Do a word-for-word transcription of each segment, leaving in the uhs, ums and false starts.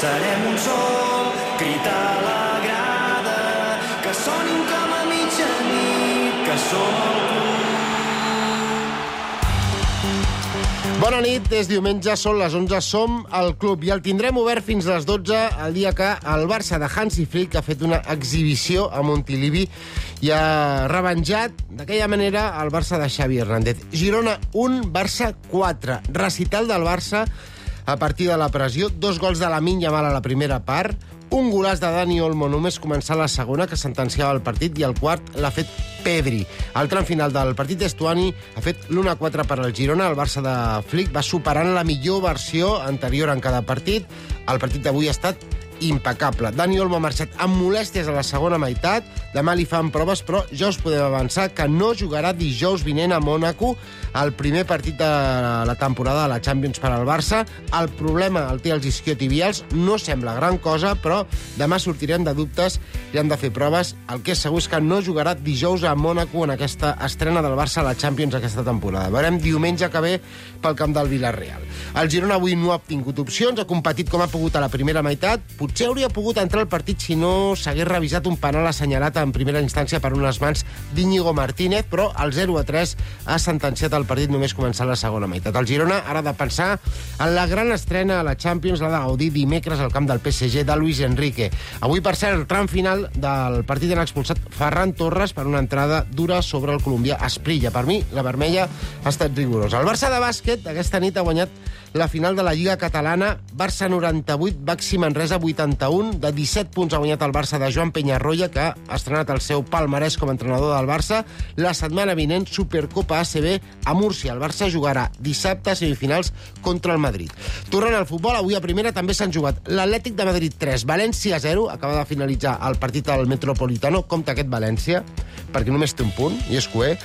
Serem un sol, crit a la grada, que sonin com a mitjanit, que som el club. Bona nit, és diumenge, són les onze, som al club i el tindrem obert fins a les dotze, el dia que el Barça de Hansi Flick ha fet una exhibició a Montilivi i ha revenjat d'aquella manera el Barça de Xavi Hernández. Girona un, Barça quatre. Recital del Barça a partir de la pressió, dos gols de Lamine Yamal a la primera part, un golaç de Dani Olmo només començar la segona, que sentenciava el partit, i el quart l'ha fet Pedri. Al tram final del partit, Estuani ha fet l'u a quatre per al Girona. El Barça de Flick va superant la millor versió anterior en cada partit. El partit d'avui ha estat impecable. Dani Olmo ha marxat amb molèsties a la segona meitat. Demà li fan proves, però ja us podem avançar que no jugarà dijous vinent a Mònaco, el primer partit de la temporada de la Champions per al Barça. El problema el té els isquiotibials, no sembla gran cosa, però demà sortirem de dubtes i han de fer proves. El que és segur és que no jugarà dijous a Mònaco en aquesta estrena del Barça a la Champions aquesta temporada. Veurem diumenge que ve pel camp del Villarreal. El Girona avui no ha obtingut opcions, ha competit com ha pogut a la primera meitat. Potser hauria pogut entrar al partit si no s'hagués revisat un penal assenyalat en primera instància per unes mans d'Íñigo Martínez, però el zero a tres ha sentenciat el partit només començar la segona meitat. El Girona ara ha de pensar en la gran estrena a la Champions, l'ha de gaudir dimecres al camp del P S G de Luis Enrique. Avui, per cert, el tram final del partit han expulsat Ferran Torres per una entrada dura sobre el colombià Asprilla. Per mi, la vermella ha estat rigorosa. El Barça de bàsquet aquesta nit ha guanyat la final de la Lliga Catalana. Barça noranta-vuit, Baxi Manresa vuitanta-un. De disset punts ha guanyat el Barça de Joan Peñarroya, que ha estrenat el seu palmarès com a entrenador del Barça. La setmana vinent, Supercopa A C B a Múrcia. El Barça jugarà dissabte semifinals contra el Madrid. Tornant al futbol, avui a primera també s'han jugat l'Atlètic de Madrid tres, València zero. Acaba de finalitzar el partit al Metropolitano. Compte aquest València, perquè només té un punt, i és coer.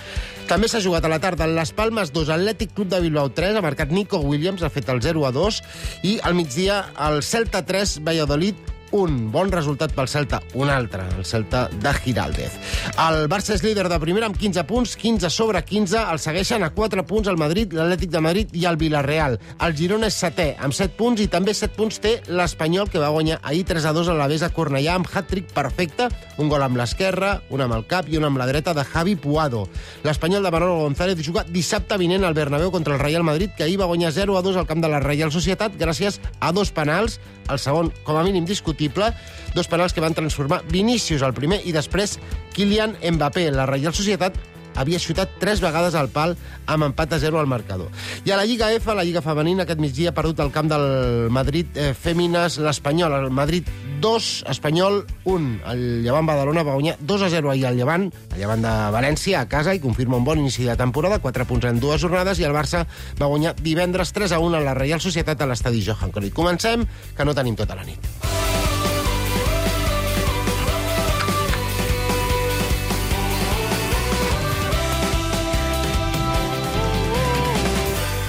També s'ha jugat a la tarda en Las Palmas dos, Atlètic Club de Bilbao tres, ha marcat Nico Williams, ha fet el zero a dos, i al migdia el Celta tres, Valladolid un. Bon resultat pel Celta, un altre, el Celta de Giraldez. El Barça és líder de primera amb quinze punts, quinze sobre quinze, el segueixen a quatre punts el Madrid, l'Atlètic de Madrid i el Villarreal. El Girona és setè, amb set punts, i també set punts té l'Espanyol, que va guanyar ahir tres a dos a l'Alavés a Cornellà amb hat-trick perfecte, un gol amb l'esquerra, un amb el cap i un amb la dreta de Javi Puado. L'Espanyol de Manolo González juga dissabte vinent al Bernabéu contra el Real Madrid, que ahir va guanyar zero a dos al camp de la Reial Societat gràcies a dos penals, el segon com a mínim discutible, dos penals que van transformar Vinícius al primer i després Kylian Mbappé. La Reial Societat havia xutat tres vegades al pal amb empat a zero al marcador. I a la Lliga F, la Lliga Femenina, aquest migdia ha perdut el camp del Madrid eh, Fèmines l'Espanyol. El Madrid dos, Espanyol un. El Llevant Badalona va guanyar dos a zero ahir al Llevant, el Llevant de València, a casa, i confirma un bon inici de temporada, quatre punts en dues jornades, i el Barça va guanyar divendres tres a un a la Reial Societat a l'estadi Johan Cruyff. Comencem, que no tenim tota la nit.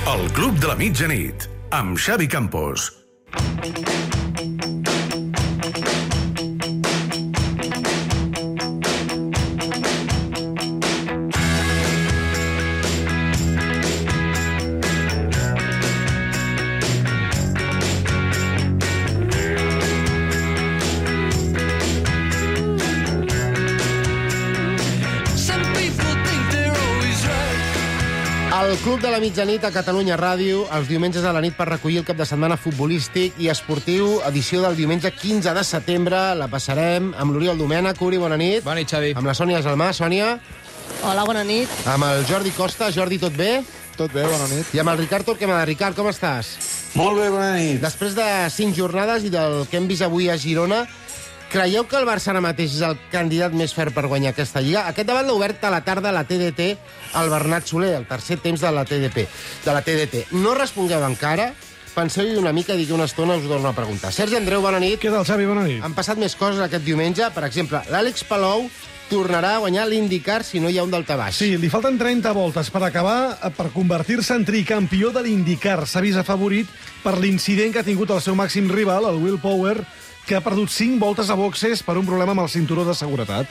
El Club de la Mitjanit, amb Xavi Campos. El Club de la Mitjanit a Catalunya Ràdio, els diumenges a la nit per recollir el cap de setmana futbolístic i esportiu, edició del diumenge quinze de setembre. La passarem amb l'Oriol Domènech. Uri, bona nit. Bona nit, Xavi. Amb la Sònia Gelmà. Sònia. Hola, bona nit. Amb el Jordi Costa. Jordi, tot bé? Tot bé, bona nit. I amb el Ricard Torquemada. Ricard, com estàs? Molt bé, bona nit. Després de cinc jornades i del que hem vist avui a Girona, creieu que el Barça ara mateix és el candidat més fert per guanyar aquesta Lliga? Aquest debat l'ha obert a la tarda a la T D T el Bernat Soler, el tercer temps de la T D P, de la T D T. No respongueu encara, penseu-hi una mica i d'aquí una estona us ho torno a preguntar. Sergi Andreu, bona nit. Què tal, Xavi? Bona nit. Han passat més coses aquest diumenge. Per exemple, l'Àlex Palou tornarà a guanyar l'IndyCar si no hi ha un daltabaix. Sí, li falten trenta voltes per acabar, per convertir-se en tricampió de l'IndyCar. S'ha vist afavorit per l'incident que ha tingut el seu màxim rival, el Will Power, que ha perdut cinc voltes a boxes per un problema amb el cinturó de seguretat.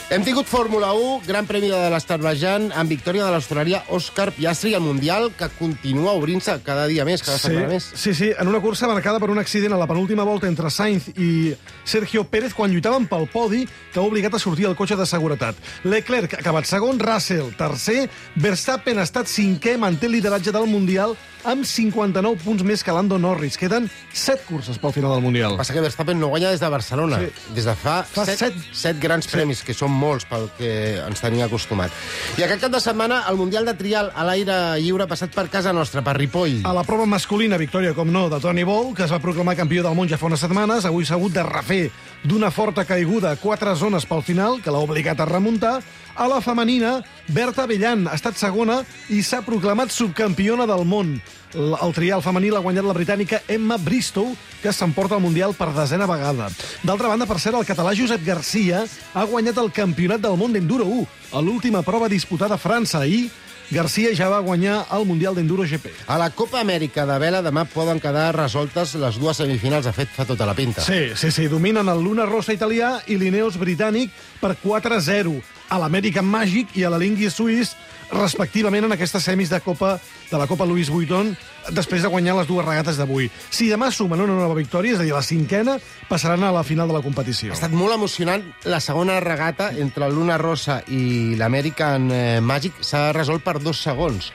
Hem tingut Fórmula u, Gran Premi de l'Azerbaidjan, amb victòria de l'Austràlia Òscar Piastri, el Mundial, que continua obrint-se cada dia més, cada Sí, setmana més. sí, sí, en una cursa marcada per un accident a la penúltima volta entre Sainz i Sergio Pérez quan lluitaven pel podi que ha obligat a sortir el cotxe de seguretat. Leclerc ha acabat segon, Russell tercer, Verstappen ha estat cinquè, manté el lideratge del Mundial amb cinquanta-nou punts més que Lando Norris. Queden set curses pel final del Mundial. Passa que Verstappen no guanya des de Barcelona, Sí. des de fa, Fa set, set. set grans premis, que són molts pel que ens tenia acostumat. I aquest cap de setmana, el Mundial de Trial a l'aire lliure ha passat per casa nostra, per Ripoll. A la prova masculina, victòria, com no, de Toni Bou, que es va proclamar campió del món ja fa unes setmanes. Avui s'ha hagut de refer d'una forta caiguda a quatre zones pel final, que l'ha obligat a remuntar. A la femenina, Berta Abellan ha estat segona i s'ha proclamat subcampiona del món. L- El trial femení l'ha guanyat la britànica Emma Bristow, que s'emporta el Mundial per desena vegada. D'altra banda, per cert, el català Josep Garcia ha guanyat el Campionat del món d'Enduro u, a l'última prova disputada a França. Ahir, Garcia ja va guanyar el Mundial d'Enduro G P. A la Copa Amèrica de vela demà poden quedar resoltes les dues semifinals. De fet, fa tota la pinta. Sí, sí, sí, dominen el Luna Rossa italià i l'Ineos britànic per quatre a zero. A l'American Magic i a la Lingui Suís, respectivament, en aquestes semis de Copa de la Copa Louis Vuitton, després de guanyar les dues regates d'avui. Si demà sumen una nova victòria, és a dir, la cinquena, passaran a la final de la competició. Ha estat molt emocionant la segona regata entre el Luna Rossa i l'American eh, Magic. S'ha resolt per dos segons.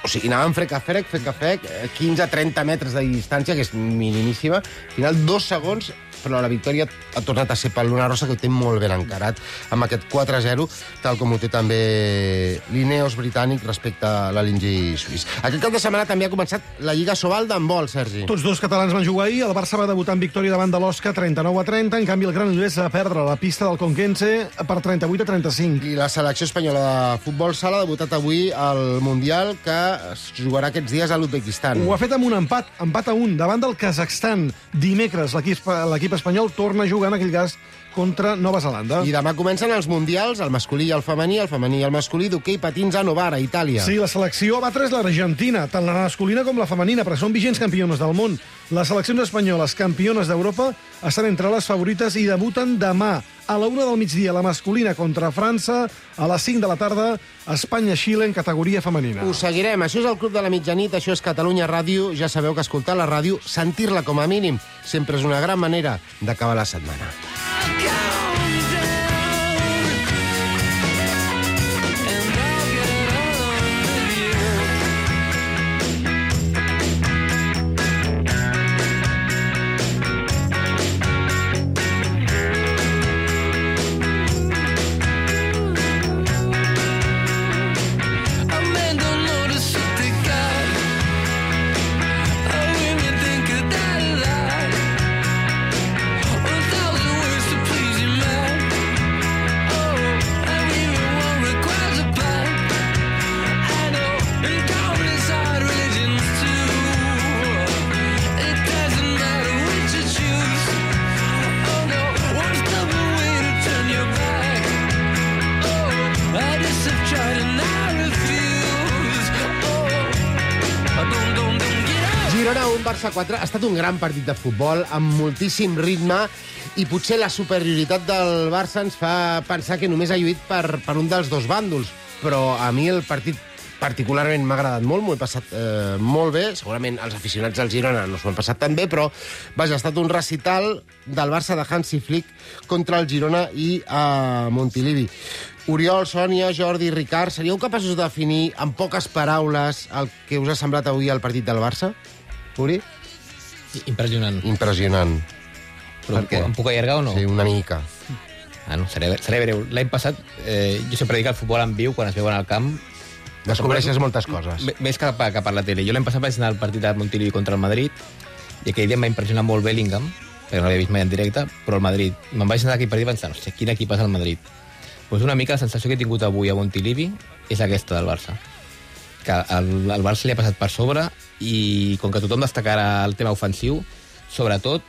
O sigui, anaven frec a frec, frec a frec, quinze a trenta metres de distància, que és minimíssima. Al final, dos segons, però la victòria ha tornat a ser pel Luna Rossa, que ho té molt ben encarat, amb aquest quatre a zero, tal com ho té també l'Ineos britànic respecte a la Lingui suís. Aquest cap de setmana també ha començat la Lliga Sobal d'handbol, Sergi. Tots dos catalans van jugar ahir. El Barça va debutar en victòria davant de l'Osca trenta-nou a trenta. En canvi, el Granollers va perdre la pista del Conquense per trenta-vuit a trenta-cinc. I la selecció espanyola de futbol sala ha debutat avui al Mundial, que es jugarà aquests dies a l'Uzbekistan. Ho ha fet amb un empat, empat a un, davant del Kazakhstan. Dimecres, l'equip l'equip espanyol torna a jugar, en aquell cas, contra Nova Zelanda. I demà comencen els mundials, el masculí i el femení, el femení i el masculí d'hoquei patins a Novara, Itàlia. Sí, la selecció va tres l'Argentina, tant la masculina com la femenina, però són vigents campiones del món. Les seleccions espanyoles, campiones d'Europa, estan entre les favorites i debuten demà. A la una del migdia, la masculina contra França, a les cinc de la tarda, Espanya-Xile en categoria femenina. Us seguirem. Això és el Club de la Mitjanit, això és Catalunya Ràdio. Ja sabeu que escoltar la ràdio, sentir-la com a mínim, sempre és una gran manera d'acabar la setmana. Girona un, Barça quatre. Ha estat un gran partit de futbol, amb moltíssim ritme, i potser la superioritat del Barça ens fa pensar que només ha lluit per, per un dels dos bàndols. Però a mi el partit particularment m'ha agradat molt, m'ho he passat eh, molt bé. Segurament els aficionats del Girona no s'ho han passat tan bé, però vaja, ha estat un recital del Barça de Hansi Flick contra el Girona i a Montilivi. Oriol, Sònia, Jordi, Ricard, seríeu capaços de definir en poques paraules el que us ha semblat avui el partit del Barça? Uri? Impressionant. Impressionant. Però Per què? em puc allargar o no? Sí, una mica. Ah, no, seré, seré breu. L'any passat, eh, jo sempre dic que el futbol en viu, quan es veuen al camp... Descobreixes moltes coses. M- Més que per, que per la tele. Jo l'any passat vaig anar al partit de Montilivi contra el Madrid, i aquell dia em va impressionar molt Bellingham, perquè no l'havia vist mai en directe, però el Madrid. Me'n vaig anar d'aquell partit pensant, hòstia, quin equip és el Madrid? Pues una mica la sensació que he tingut avui a Montilivi és aquesta del Barça. Que el, el Barça li ha passat per sobre i com que tothom destacarà el tema ofensiu, sobretot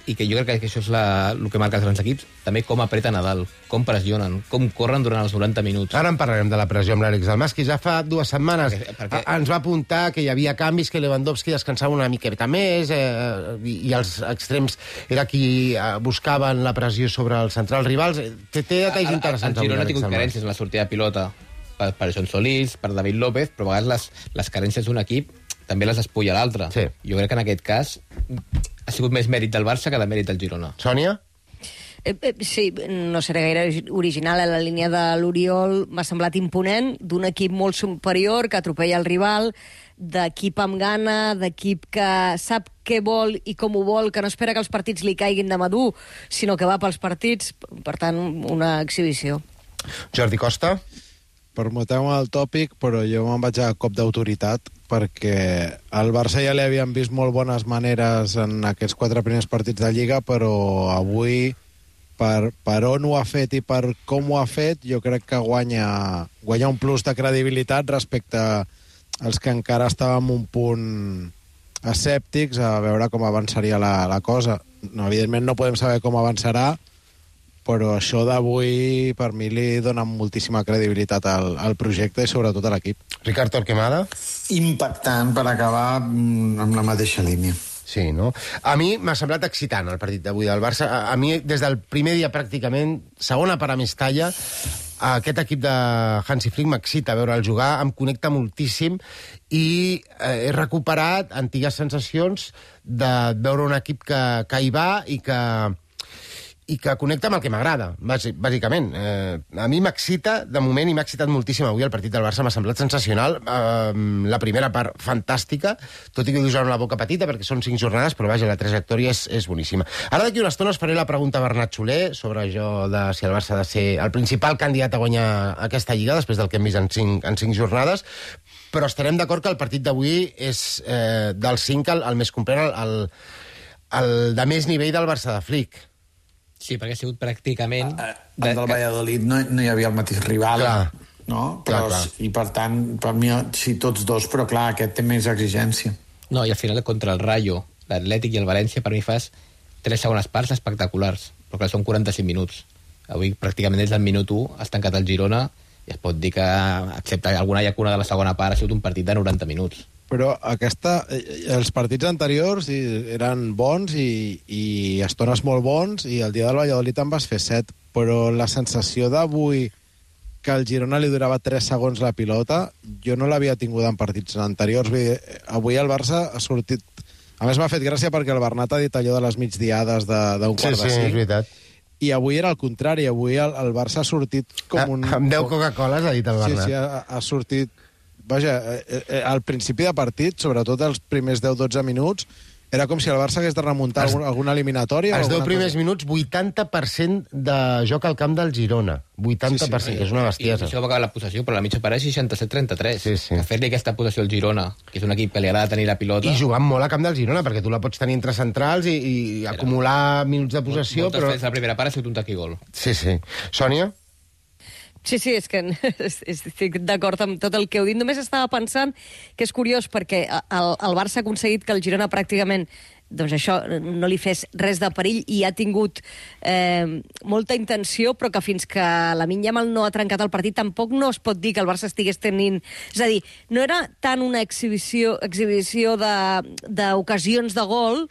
i que jo crec que això és la, el que marca els grans equips, també com apreten a dalt, com pressionen, com corren durant els noranta minuts. Ara en parlarem de la pressió amb l'Àlex Dalmas, que ja fa dues setmanes Perquè- perquè- a- ens va apuntar que hi havia canvis, que Lewandowski descansava una miqueta més, eh, i, i els extrems era qui eh, buscaven la pressió sobre els centrals rivals. Té, té detalls El- interessants. El Girona ha avui, tingut Àlex Dalmas. carències en la sortida de pilota per, per John Solís, per David López, però a vegades les, les carències d'un equip també les espulla l'altre. Sí. Jo crec que en aquest cas ha sigut més mèrit del Barça que de mèrit del Girona. Sònia? Eh, eh, sí, no seré gaire original. A la línia de l'Oriol m'ha semblat imponent, d'un equip molt superior que atropella el rival, d'equip amb gana, d'equip que sap què vol i com ho vol, que no espera que els partits li caiguin de madur, sinó que va pels partits. Per tant, una exhibició. Jordi Costa? Permeteu-me el tòpic, però jo me'n vaig a cop d'autoritat, perquè al Barça ja li havien vist molt bones maneres en aquests quatre primers partits de Lliga, però avui, per, per on ho ha fet i per com ho ha fet, jo crec que guanya, guanya un plus de credibilitat respecte als que encara estàvem un punt escèptics a veure com avançaria la, la cosa. No, evidentment no podem saber com avançarà, però això d'avui per mi li dona moltíssima credibilitat al, al projecte i sobretot a l'equip. Ricard Torquemada? Impactant per acabar mm, amb la mateixa línia. Sí, no? A mi m'ha semblat excitant el partit d'avui del Barça. A, a mi, des del primer dia pràcticament, segona per a Mestalla, aquest equip de Hansi Flick m'excita veure'l jugar, em connecta moltíssim i eh, he recuperat antigues sensacions de veure un equip que, que hi va i que i que connecta amb el que m'agrada, bàsicament. Eh, a mi m'excita, de moment, i m'ha excitat moltíssim avui el partit del Barça, m'ha semblat sensacional. Eh, la primera part, fantàstica, tot i que ho dius amb la boca petita, perquè són cinc jornades, però vaja, la trajectòria és, és boníssima. Ara d'aquí una estona us faré la pregunta a Bernat Soler sobre això de si el Barça ha de ser el principal candidat a guanyar aquesta Lliga, després del que hem vist en cinc, en cinc jornades, però estarem d'acord que el partit d'avui és eh, dels cinc el, el més complet, el, el, el de més nivell del Barça de Flick. Sí, perquè ha sigut pràcticament... El del Valladolid no, no hi havia el mateix rival, Clar. no? Però, Clar, clar. I per tant, per mi, sí, tots dos, però clar, aquest té més exigència. No, i al final contra el Rayo, l'Atlètic i el València, per mi fas tres segones parts espectaculars, però clar, són quaranta-cinc minuts. Avui pràcticament des del minut u has tancat el Girona i es pot dir que, excepte alguna llacuna de la segona part, ha sigut un partit de noranta minuts. Però aquesta, els partits anteriors eren bons i, i estones molt bons, i el dia del Valladolid en vas fer set, però la sensació d'avui que el Girona li durava tres segons la pilota, jo no l'havia tingut en partits anteriors. Avui el Barça ha sortit... A més, m'ha fet gràcia perquè el Bernat ha dit allò de les migdiades d'un quart Sí, de sí, cinc. és veritat. I avui era el contrari, avui el, el Barça ha sortit com un... Amb deu Coca-Coles, ha dit el Bernat. Sí, sí, ha, ha sortit... Vaja, eh, eh, al principi de partit, sobretot els primers deu dotze minuts, era com si el Barça hagués de remuntar Els- algun, alguna eliminatòria. Els o deu alguna primers cosa. minuts, vuitanta per cent de joc al camp del Girona. vuitanta per cent, Sí, sí, que és una I bestiesa. això va acabar la possessió, però la mitja part és seixanta-set trenta-tres. Sí, sí. A fer-li aquesta possessió al Girona, que és un equip que li agrada tenir la pilota... I jugant molt a camp del Girona, perquè tu la pots tenir entre centrals i, i acumular minuts de possessió, Moltes però... vegades la primera part ha sigut un tac i gol. Sí, sí. Sònia? Sí, sí, és que estic d'acord amb tot el que heu dit. Només estava pensant que és curiós perquè el, el Barça ha aconseguit que el Girona pràcticament doncs això, no li fes res de perill i ha tingut eh, molta intenció, però que fins que Lamine Yamal no ha trencat el partit tampoc no es pot dir que el Barça estigués tenint... És a dir, no era tant una exhibició, exhibició de- d'ocasions de, de gol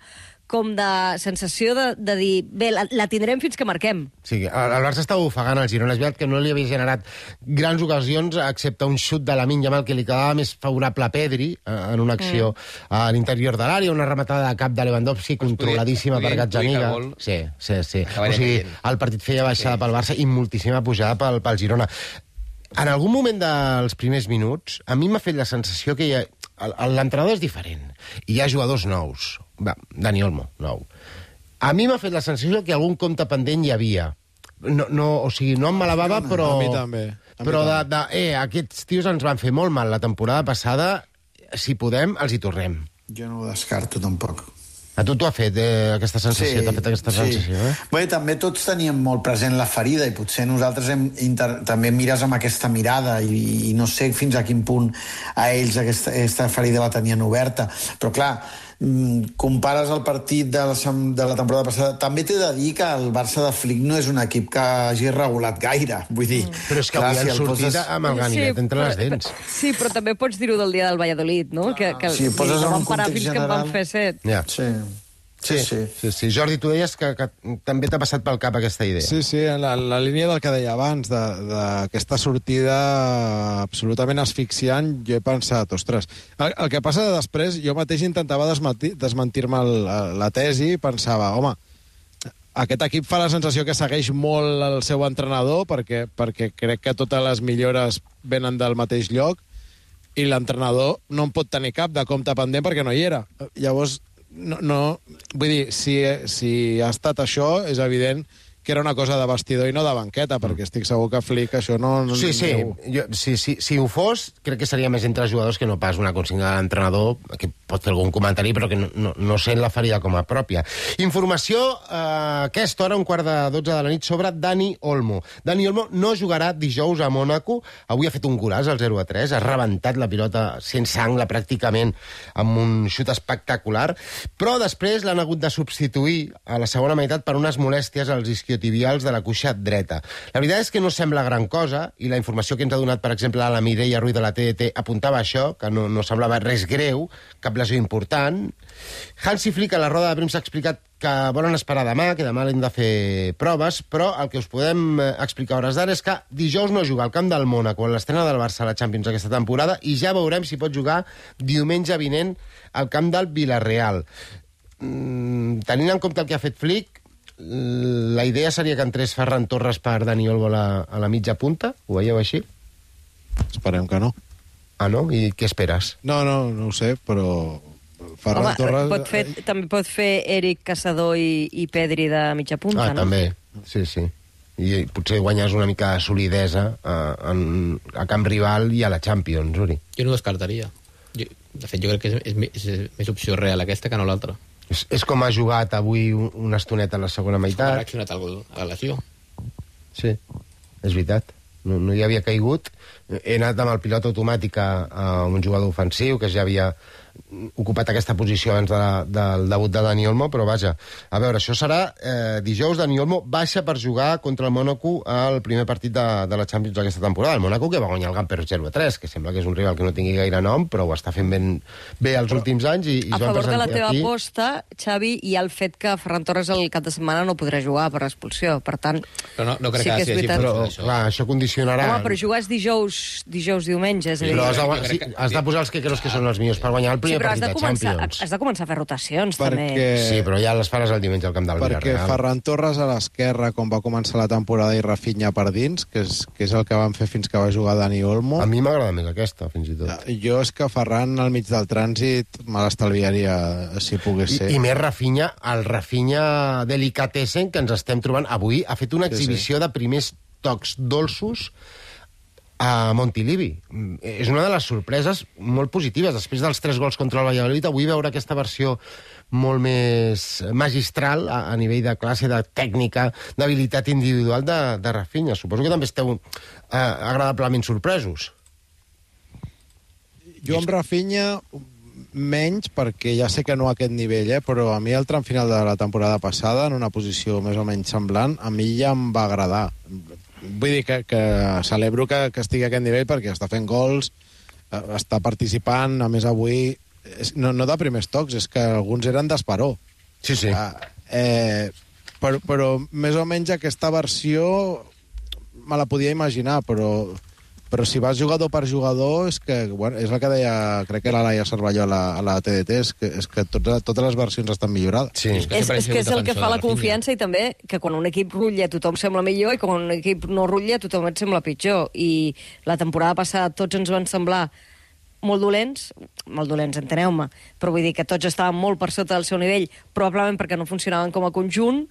com de sensació de, de dir, bé, la, la tindrem fins que marquem. Sí, el el Barça estava ofegant el Girona. És veritat que no li havia generat grans ocasions, excepte un xut de Lamine Yamal que li quedava més favorable a Pedri eh, en una acció mm. a l'interior de l'àrea, una rematada de cap de Lewandowski Pues controladíssima podia- per podia Gazzaniga. intuir que el gol Sí, sí, sí. acabaria O sigui, caient. el partit feia baixada pel Barça i moltíssima pujada pel, pel Girona. En algun moment dels primers minuts, a mi m'ha fet la sensació que hi ha... l'entrenador és diferent i hi ha jugadors nous. Va, Dani Olmo, nou. A mi m'ha fet la sensació que algun compte pendent hi havia. No, no, o sigui, no em malabava, però... A mi també. A mi Però de, també. de, eh, aquests tios ens van fer molt mal la temporada passada, si podem, els hi tornem. Jo no ho descarto, tampoc. A tu t'ho ha fet, eh, aquesta sensació, t'ha fet aquesta sensació, eh? Bé, també tots teníem molt present la ferida i potser nosaltres hem inter... també mires amb aquesta mirada i, i no sé fins a quin punt a ells aquesta, aquesta ferida la tenien oberta. Però clar, mm, compares el partit de la, de la temporada passada, també t'he de dir que el Barça de Flick no és un equip que hagi regulat gaire. Vull dir, Mm. Però és que clar, avui si han el sortit poses- amb el ganivet entre les però- dents. Sí, però també pots dir-ho del dia del Valladolid, no? Que, que Sí, poses no en van un parar context fins que en van general. fer set. Ja. Sí. Sí, sí. sí, sí. Jordi, tu deies que, que també t'ha passat pel cap aquesta idea. Sí, sí, en la, en la línia del que deia abans, de- d'aquesta sortida absolutament asfixiant, jo he pensat, ostres, el, el que passa després, jo mateix intentava desmentir- desmentir-me el- la tesi i pensava, home, aquest equip fa la sensació que segueix molt el seu entrenador perquè, perquè crec que totes les millores venen del mateix lloc i l'entrenador no en pot tenir cap de compte pendent perquè no hi era. Llavors, no, no, vull dir, si, si ha estat això, és evident que era una cosa de vestidor i no de banqueta, perquè estic segur que Flick això no... no Sí, sí, no- jo, sí, sí, si ho fos, crec que seria més entre els jugadors que no pas una consigna de l'entrenador, que pot fer algun comentari, però que no, no, no sent la faria com a pròpia. Informació eh, a aquesta hora, un quart de dotze de la nit, sobre Dani Olmo. Dani Olmo no jugarà dijous a Mònaco. Avui ha fet un golaç al zero a tres, ha rebentat la pilota sense angle pràcticament amb un xut espectacular, però després l'han hagut de substituir a la segona meitat per unes molèsties als isquiotibials de la cuixa dreta. La veritat és que no sembla gran cosa, i la informació que ens ha donat, per exemple, la Mireia Ruiz de la T D T apuntava això, que no, no semblava res greu, cap lesió important. Hansi Flick a la roda de premsa ha explicat que volen esperar demà, que demà l'hem de fer proves, però el que us podem eh, explicar a hores d'ara és que dijous no juga al camp del Mònaco en l'estrena del Barça a la Champions aquesta temporada, i ja veurem si pot jugar diumenge vinent al camp del Villarreal. Mm, tenint en compte el que ha fet Flick, la idea seria que entrés Ferran Torres per Dani Olmo a la, a la mitja punta? Ho veieu així? Esperem que no. Ah, no? I què esperes? No, no, no ho sé, però Ferran Home, Torres... pot fer, també pot fer Eric Caçador i, i Pedri de mitja punta, Ah, no? també. Sí, sí. I potser guanyes una mica de solidesa a, en, a camp rival i a la Champions, Uri. Jo no ho descartaria. Jo, de fet, jo crec que és, és, és més opció real aquesta que no l'altra. És, és com ha jugat avui un- una estoneta a la segona Ha meitat. reaccionat a la lesió. Sí, és veritat. No, no hi havia caigut. He anat amb el pilot automàtic a, a un jugador ofensiu que ja havia ocupat aquesta posició abans de la, del debut de Dani Olmo, però vaja, a veure, això serà eh, dijous. Dani Olmo baixa per jugar contra el Mònaco al primer partit de, de la Champions d'aquesta temporada. El Mònaco que va guanyar el Gamper zero a tres, que sembla que és un rival que no tingui gaire nom, però ho està fent ben, bé els últims anys. I, i A es van favor de la presentar teva aquí. aposta, Xavi, hi ha el fet que Ferran Torres el cap de setmana no podrà jugar per expulsió. Per tant, Però no, no crec sí que que és sigui veritat. així. Però, això. clar, això condicionarà... Home, però jugar és dijous, dijous diumenge, és a dir... Però has de, Jo sí, crec que- has de posar els que creus que són els millors per guanyar el Sí, primer però has partit de, de, començar, Champions. has de començar a fer rotacions, també. perquè... Sí, però ja les faràs el diumenge al camp del Perquè Villarreal. Ferran Torres a l'esquerra, com va començar la temporada, i Rafinha per dins, que és, que és el que van fer fins que va jugar Dani Olmo. A mi m'agrada més aquesta, fins i tot. Jo és que Ferran al mig del trànsit me l'estalviaria, si pogués I, ser. I més Rafinha, el Rafinha Delicatessen que ens estem trobant avui, ha fet una Sí, exhibició de primers tocs dolços a Montilivi. Mm, És una de les sorpreses molt positives. Després dels tres gols contra el Valladolid, avui veure aquesta versió molt més magistral a, a nivell de classe, de tècnica, d'habilitat individual de, de Rafinha. Suposo que també esteu eh, agradablement sorpresos. Jo amb Rafinha menys, perquè ja sé que no a aquest nivell, eh? Però a mi el tram final de la temporada passada, en una posició més o menys semblant, a mi ja em va agradar. Vull dir que, que celebro que, que estigui a aquest nivell perquè està fent gols, eh, està participant, a més avui... És, no, no de primers tocs, és que alguns eren d'esperó. Sí, sí. Ah, eh, però, però més o menys aquesta versió me la podia imaginar, però, però si vas jugador per jugador és que, bueno, és el que deia, crec que era Laia Cervelló a la, a la T D T, és que, és que tots, totes les versions estan millorades. Sí. que És, sempre he és que és sigut el que defensor fa de la Rafinha. confiança, i també que quan un equip rutlla tothom sembla millor i quan un equip no rutlla tothom et sembla pitjor. I la temporada passada tots ens van semblar molt dolents, molt dolents, enteneu-me, però vull dir que tots estaven molt per sota del seu nivell, probablement perquè no funcionaven com a conjunt,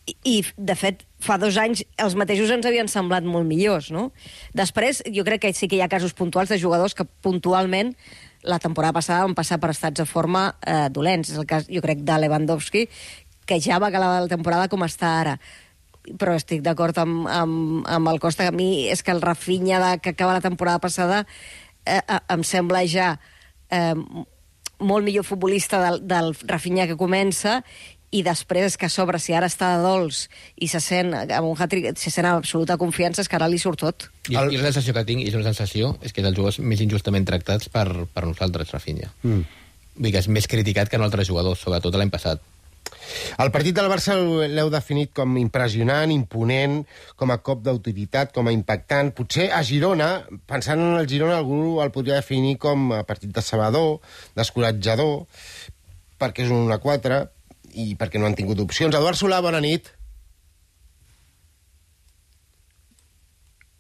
i, i de fet, fa dos anys els mateixos ens havien semblat molt millors, no? Després, jo crec que sí que hi ha casos puntuals de jugadors que puntualment la temporada passada van passar per estats de forma eh, dolents. És el cas, jo crec, de Lewandowski, que ja va acabar la temporada com està ara. Però estic d'acord amb, amb, amb el Costa, que a mi és que el Rafinha de, que acaba la temporada passada eh, eh, em sembla ja eh, molt millor futbolista del, del Rafinha que comença, i després és que a sobre, si ara està de dolç i se sent amb un hat-trick, se sent amb absoluta confiança, és que ara li surt tot. I, I la sensació que tinc, i és una sensació, és que és dels jugadors més injustament tractats per, per nosaltres, Rafinha. Mm. Vull dir que és més criticat que en altres jugadors, sobretot l'any passat. El partit del Barça l'heu definit com impressionant, imponent, com a cop d'autoritat, com a impactant. Potser a Girona, pensant en el Girona, algú el podria definir com a partit decebedor, descoratjador, perquè és un un a quatre, i perquè no han tingut opcions. Eduard Solà, bona nit.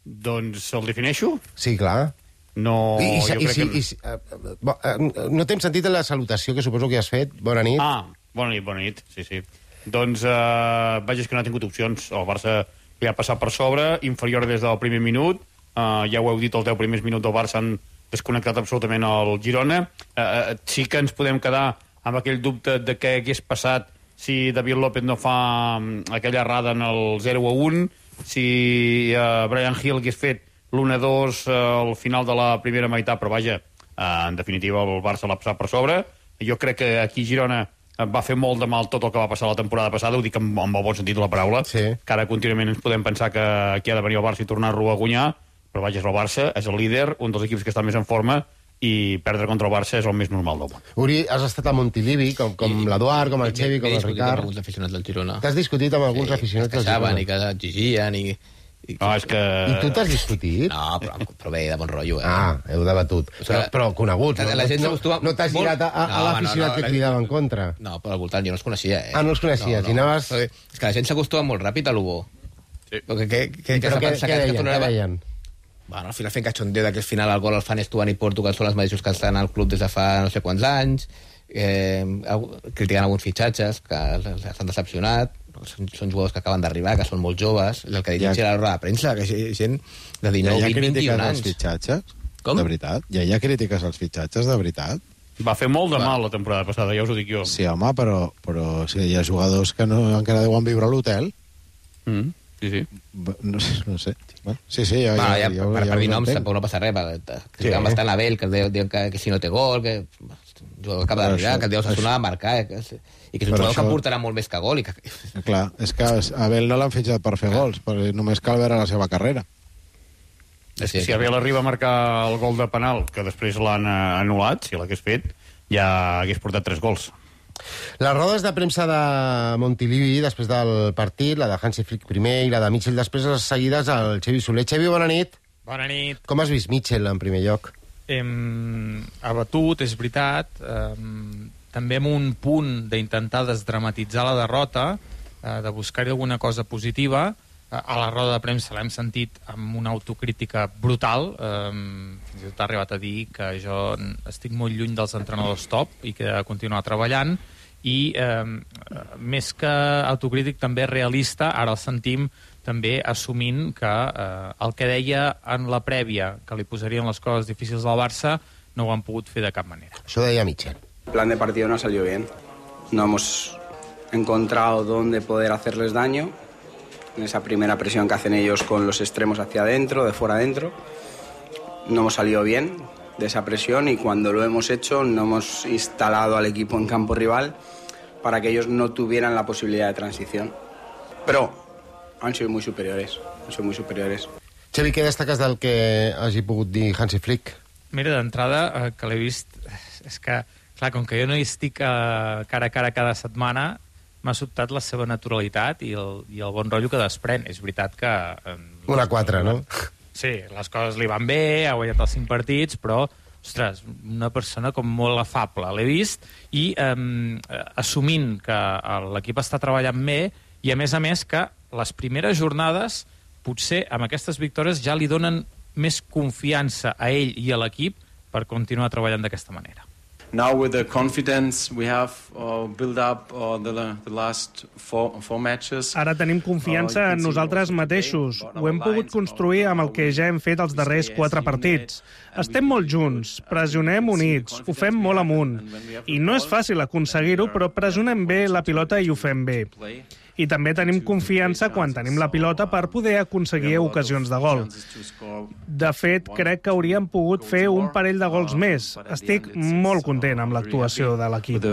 Doncs el defineixo? Sí, clar. No, I, i, jo i, crec si, que... i, si, uh, bo, uh, no t'hem sentit en la salutació que suposo que has fet. Bona nit. Ah, bona nit, bona nit, sí, sí. Doncs, uh, vaja, és que no ha tingut opcions. El Barça li ha passat per sobre, inferior des del primer minut. Uh, ja ho heu dit, els deu primers minuts del Barça han desconnectat absolutament el Girona. Uh, uh, sí que ens podem quedar amb aquell dubte de què hagués passat si David López no fa aquella errada en el zero a un, si uh, Bryan Gil hagués fet l'u a dos uh, al final de la primera meitat, però vaja, uh, en definitiva el Barça l'ha passat per sobre. Jo crec que aquí Girona va fer molt de mal tot el que va passar la temporada passada, ho dic amb, amb el bon sentit de la paraula, sí. Que ara contínuament ens podem pensar que aquí ha de venir el Barça i tornar-lo a guanyar, però vaja, és el Barça, és el líder, un dels equips que està més en forma, i perdre contra el Barça és el més normal del món. Uri, has estat a Montilivi, com, com l'Eduard, com el Xevi, com el Ricard. Amb alguns aficionats del Girona. T'has discutit amb alguns sí, aficionats del Girona. Girona. I que exigien, i... I, no, és que... I tu t'has discutit? No, però, però bé, de bon rotllo, eh? Ah, heu debatut. O sigui, però, però coneguts, la, la gent s'acostuma... No, no t'has girat a, a, no, a l'aficionat no, no, que cridava en contra? No, però al voltant jo no els coneixia, eh? Ah, no els coneixies, no, no. i anaves... És que la gent s'acostuma molt ràpid a l'Ubo. Sí. Perquè, que, que, però que què, què deien? Què deien? Bueno, al final fent cachondeo que al final el gol el fan Estuan i Porto, que són els mateixos que estan al club des de fa no sé quants anys, eh, criticant alguns fitxatges que s'han decepcionat, són, són jugadors que acaben d'arribar, que són molt joves, el que dic ja... era la roda de premsa, que gent de dinou, ja vint, vint i un als anys. Fitxatges? Com? De veritat? Ja hi ha crítiques als fitxatges, de veritat? Va fer molt de mal la temporada passada, ja us ho dic jo. Sí, home, però, però sí, hi ha jugadors que no, encara deuen viure a l'hotel. Mm. Sí, sí. No, no sé. Bueno, sí, sí, ja, bueno, ja, ja, ja, per, ja per dir noms tampoc no passa res. Que sí. Bastant a Abel, que diuen que, que si no té gol, que jugador acaba d'arribar, que el Déu s'ha a marcar, eh, que, i que és un jugador això... que portarà molt més que gol. I que... Clar, és que Abel no l'han fitxat per fer gols, perquè només cal veure la seva carrera. És que si Abel arriba a marcar el gol de penal, que després l'han anul·lat, si l'hagués fet, ja hagués portat tres gols. Les rodes de premsa de Montilivi després del partit, la de Hansi Flick primer i la de Mitchell després, les seguides al Xevi Soler. Xevi, bona nit. Bona nit. Com has vist Mitchell en primer lloc? Hem abatut, és veritat, eh, també amb un punt d'intentar desdramatitzar la derrota, eh, de buscar-hi alguna cosa positiva. Eh, a la roda de premsa l'hem sentit amb una autocrítica brutal, eh, fins i tot ha arribat a dir que jo estic molt lluny dels entrenadors top i que he de continuar treballant, i eh, més que autocrític també realista, ara el sentim també assumint que eh, el que deia en la prèvia, que li posarien les coses difícils al Barça, no ho han pogut fer de cap manera. Això deia Mitchell. El plan de partido no salió bien. No hemos encontrado dónde poder hacerles daño. En esa primera presión que hacen ellos con los extremos hacia adentro, de fuera adentro, no hemos salido bien de esa presión, y cuando lo hemos hecho no hemos instalado al equipo en campo rival para que ellos no tuvieran la posibilidad de transición. Pero han sido muy superiores, han sido muy superiores. Xavi, què destaques del que hagi pogut dir Hansi Flick? Mira, d'entrada, eh, que l'he vist, és que, clar, com que jo no hi estic eh, cara a cara cada setmana, m'ha sobtat la seva naturalitat i el, i el bon rotllo que desprèn. És veritat que... Eh, Una quatre, no? Sí, les coses li van bé, ha guanyat els cinc partits, però, ostres, una persona com molt afable. L'he vist, i eh, assumint que l'equip està treballant bé, i a més a més que les primeres jornades, potser amb aquestes victòries ja li donen més confiança a ell i a l'equip per continuar treballant d'aquesta manera. Now with the confidence we have uh, built up uh, the, the last four, four matches. Ara tenim confiança en nosaltres mateixos. Ho hem pogut construir amb el que ja hem fet els darrers quatre partits. Estem molt junts, pressionem units, ho fem molt amunt. I no és fàcil aconseguir-ho, però pressionem bé la pilota i ho fem bé. I també tenim confiança quan tenim la pilota per poder aconseguir ocasions de gol. De fet, crec que hauríem pogut fer un parell de gols més. Estic molt content amb l'actuació de l'equip.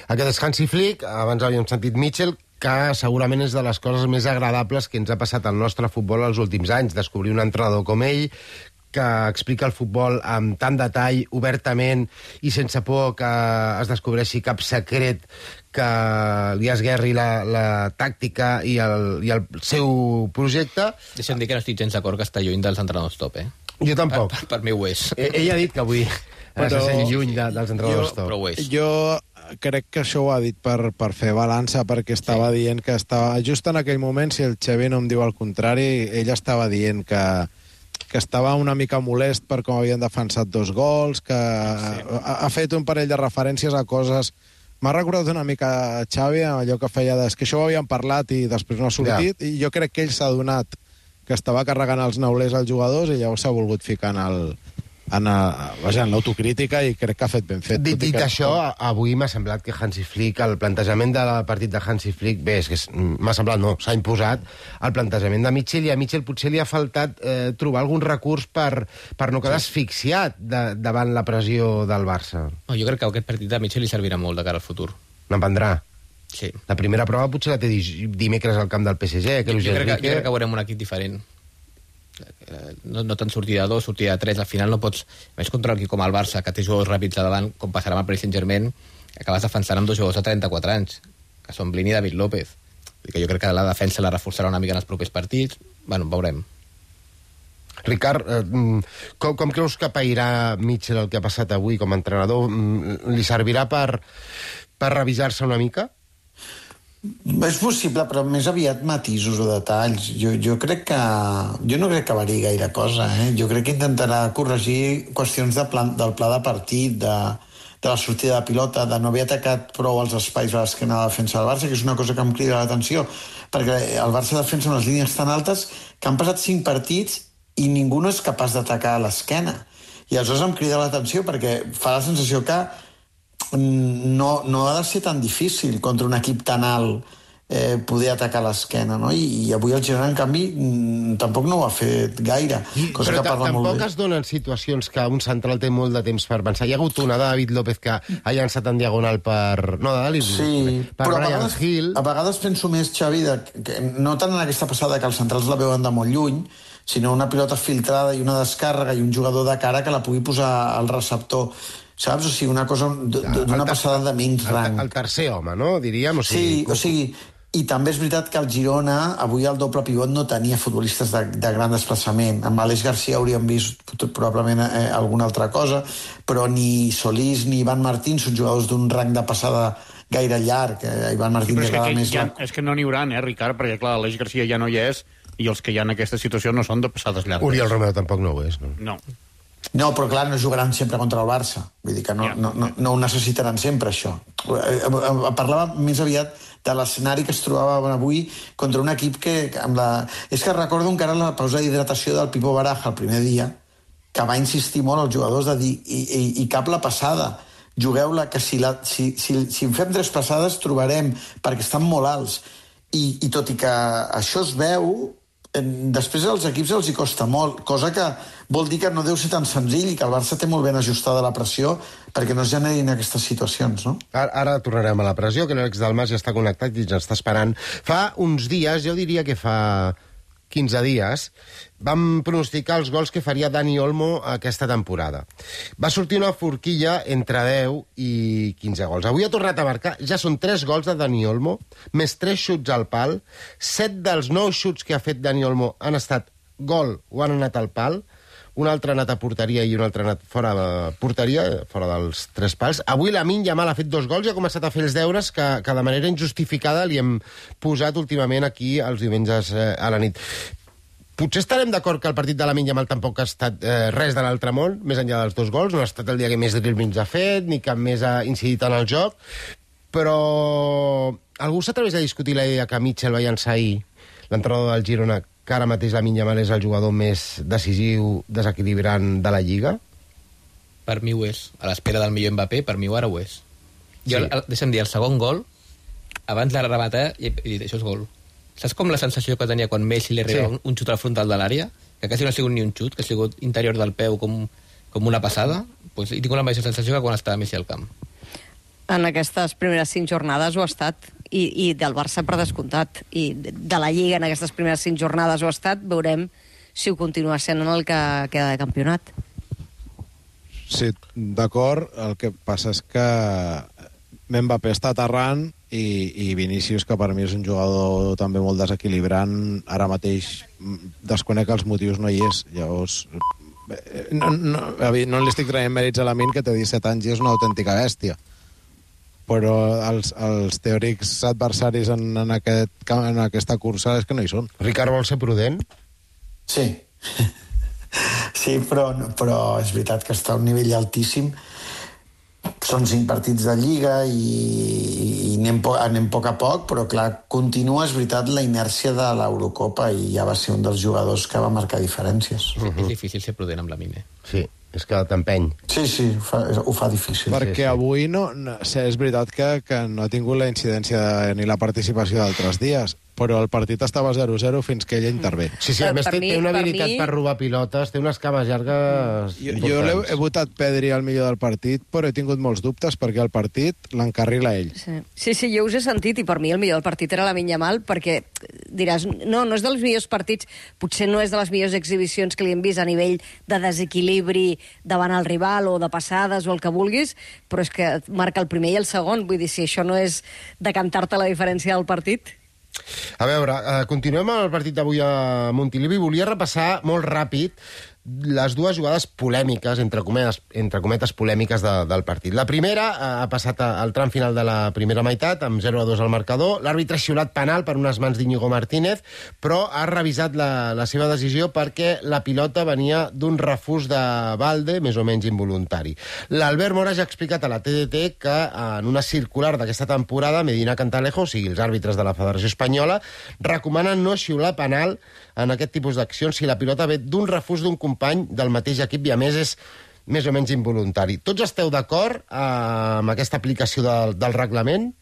Aquest és Hansi Flick, abans havíem sentit Mitchell, que segurament és de les coses més agradables que ens ha passat al nostre futbol els últims anys, descobrir un entrenador com ell, que explica el futbol amb tant detall, obertament i sense por que es descobreixi cap secret que li esguerri la, la tàctica i el, i el seu projecte. Deixa'm dir que no estic gens d'acord que està lluny dels entrenadors top, eh? Jo tampoc. Per, per, per mi ho és. Ell ha dit que avui però... se sent lluny de, dels entrenadors top. Però ho és. Jo crec que això ho ha dit per, per fer balança, perquè estava sí. dient que estava... Just en aquell moment, si el Xavi no em diu el contrari, ell estava dient que que estava una mica molest per com havien defensat dos gols, que sí. ha, ha fet un parell de referències a coses... M'ha recordat una mica Xavi, allò que feia de... És que això ho havíem parlat i després no ha sortit, ja. I jo crec que ell s'ha donat que estava carregant els neulers als jugadors i llavors s'ha volgut ficar en el... en, a, vaja, en l'autocrítica i crec que ha fet ben fet. Dit, dit això, avui m'ha semblat que Hansi Flick, el plantejament del partit de Hansi Flick, bé, és que m'ha semblat, no, s'ha imposat el plantejament de Mitchell, i a Mitchell potser li ha faltat eh, trobar algun recurs per, per no quedar sí. asfixiat de, davant la pressió del Barça. No, jo crec que aquest partit de Mitchell li servirà molt de cara al futur. N'aprendrà. Sí. La primera prova potser la té dimecres al camp del P S G. Que jo, jo, crec que, jo crec que veurem un equip diferent. No, no tant sortida de dos, sortida de tres, al final no pots, més contra un equip com el Barça, que té jugadors ràpids a davant, com passarà amb el Paris Saint-Germain, acabes defensant amb dos jugadors de trenta-quatre anys, que són Blin i David López. Que jo crec que la defensa la reforçarà una mica en els propers partits. Bueno, veurem. Ricard, eh, com, com creus que pairà Mitchell el que ha passat avui com a entrenador? Li servirà per, per revisar-se una mica? És possible, però més aviat matisos o detalls. Jo, jo crec que... Jo no crec que variï gaire cosa, eh? Jo crec que intentarà corregir qüestions de plan, del pla de partit, de, de la sortida de pilota, de no haver atacat prou els espais a l'esquena de la defensa del Barça, que és una cosa que em crida l'atenció, perquè el Barça defensa unes línies tan altes que han passat cinc partits i ningú no és capaç d'atacar a l'esquena. I aleshores em crida l'atenció perquè fa la sensació que No, no ha de ser tan difícil contra un equip tan alt eh, poder atacar l'esquena, no? I, i avui el Girona, en canvi, tampoc no ho ha fet gaire, cosa però que parla molt bé. Tampoc es donen situacions que un central té molt de temps per pensar. Hi ha hagut una de David López que ha llançat en diagonal per... No, de David sí, per però a Brian vegades, Hill. A vegades penso més, Xavi, de, que, no tant en aquesta passada que els centrals la veuen de molt lluny, sinó una pilota filtrada i una descàrrega i un jugador de cara que la pugui posar al receptor, saps? O sigui, una cosa d'una passada de menys rang. El, el tercer home, no? Diríem. O sigui, sí, o sigui, i també és veritat que el Girona, avui el doble pivot no tenia futbolistes de, de gran desplaçament. Amb Aleix Garcia hauríem vist probablement eh, alguna altra cosa, però ni Solís ni Ivan Martín són jugadors d'un rang de passada gaire llarg. Eh? Ivan Martín sí, és, que, més ja, és que no n'hi haurà, eh, Ricard? Perquè, clar, Aleix Garcia ja no hi és, i els que hi ha en aquesta situació no són de passades llargues. Oriol Romeu tampoc no ho és, no? No. No, però clar, no jugaran sempre contra el Barça. Vull dir que no, no, no, no ho necessitaran sempre, això. Parlava més aviat de l'escenari que es trobava avui contra un equip que... Amb la... És que recordo encara la pausa d'hidratació del Pipo Baraja el primer dia, que va insistir molt als jugadors de dir i, i, i cap la passada, jugueu-la, que si, la, si, si, si en fem tres passades trobarem, perquè estan molt alts. I, i tot i que això es veu... Després als equips els hi costa molt, cosa que vol dir que no deu ser tan senzill i que el Barça té molt ben ajustada la pressió perquè no es generin aquestes situacions, no? Ara, ara tornarem a la pressió, que l'Àlex Dalmas ja està connectat i ens està esperant. Fa uns dies, jo diria que fa quinze dies, vam pronosticar els gols que faria Dani Olmo aquesta temporada. Va sortir una forquilla entre deu i quinze gols. Avui ha tornat a marcar, ja són tres gols de Dani Olmo, més tres xuts al pal. set dels nou xuts que ha fet Dani Olmo han estat gol o han anat al pal. Un altre ha anat a porteria i un altre ha anat fora de porteria, fora dels tres pals. Avui Lamine Yamal ha fet dos gols i ha començat a fer els deures que, que de manera injustificada li hem posat últimament aquí els diumenges eh, a la nit. Potser estarem d'acord que el partit de Lamine Yamal tampoc ha estat eh, res de l'altre món, més enllà dels dos gols. No ha estat el dia que més dribblings ha fet, ni que més ha incidit en el joc. Però algú s'atreveix a discutir la idea que Mitchell va llançar ahir, l'entrenador del Girona, que ara mateix Lamine Yamal és el jugador més decisiu, desequilibrant de la Lliga? Per mi ho és. A l'espera del millor Mbappé, per mi ara ho és. Jo, Sí. el, deixa'm dir, el segon gol abans de rematar, i he dit, això és gol. Saps com la sensació que tenia quan Messi li arriba sí. un xut al frontal de l'àrea? Que quasi no ha sigut ni un xut, que ha sigut interior del peu com, com una passada? Pues, i tinc la mateixa sensació que quan estava Messi al camp. En aquestes primeres cinc jornades ho ha estat, i, i del Barça per descomptat, i de la Lliga en aquestes primeres cinc jornades ho ha estat. Veurem si ho continua sent en el que queda de campionat. Sí, d'acord. El que passa és que Mbappé està aterrant i, i Vinícius, que per mi és un jugador també molt desequilibrant, ara mateix desconec els motius, no hi és. Llavors, no, no, no li estic traient mèrits a Lamine, que té disset anys i és una autèntica bèstia. Però els, els teòrics adversaris en, en, aquest, en aquesta cursa és que no hi són. Ricard, vol ser prudent? Sí. Sí, però, però és veritat que està a un nivell altíssim. Són cinc partits de Lliga i, i anem, po anem a poc a poc, però clar, continua, és veritat, la inèrcia de l'Eurocopa i ja va ser un dels jugadors que va marcar diferències. Uh -huh. És difícil ser prudent amb la Lamine. Sí, és que t'empeny. Sí, sí, ho fa, ho fa difícil. Perquè sí, sí. avui no, no, és veritat que, que no ha tingut la incidència de, ni la participació d'altres dies, però el partit estava zero zero fins que ella intervé. Sí, sí, a més té, té una habilitat per, mi... per robar pilotes, té unes cames llargues... Jo, jo he, he votat Pedri al millor del partit, però he tingut molts dubtes perquè el partit l'encarrila ell. Sí. sí, sí, jo us he sentit, i per mi el millor del partit era Lamine Yamal, perquè diràs, no, no és dels millors partits, potser no és de les millors exhibicions que li hem vist a nivell de desequilibri davant el rival o de passades o el que vulguis, però és que marca el primer i el segon, vull dir, si això no és de cantar-te la diferència del partit... A veure, eh, continuem amb el partit d'avui a Montilivi. Volia repassar molt ràpid les dues jugades polèmiques, entre cometes, entre cometes polèmiques de, del partit. La primera eh, ha passat al tram final de la primera meitat, amb zero a dos al marcador. L'àrbitre ha xiulat penal per unes mans d'Iñigo Martínez, però ha revisat la, la seva decisió perquè la pilota venia d'un refús de Valde, més o menys involuntari. L'Albert Mora ja ha explicat a la T D T que en una circular d'aquesta temporada, Medina Cantalejo, o sigui, els àrbitres de la Federació Espanyola, recomanen no xiular penal en aquest tipus d'accions si la pilota ve d'un refús d'un company del mateix equip i, a més, és més o menys involuntari. Tots esteu d'acord eh, amb aquesta aplicació del, del reglament?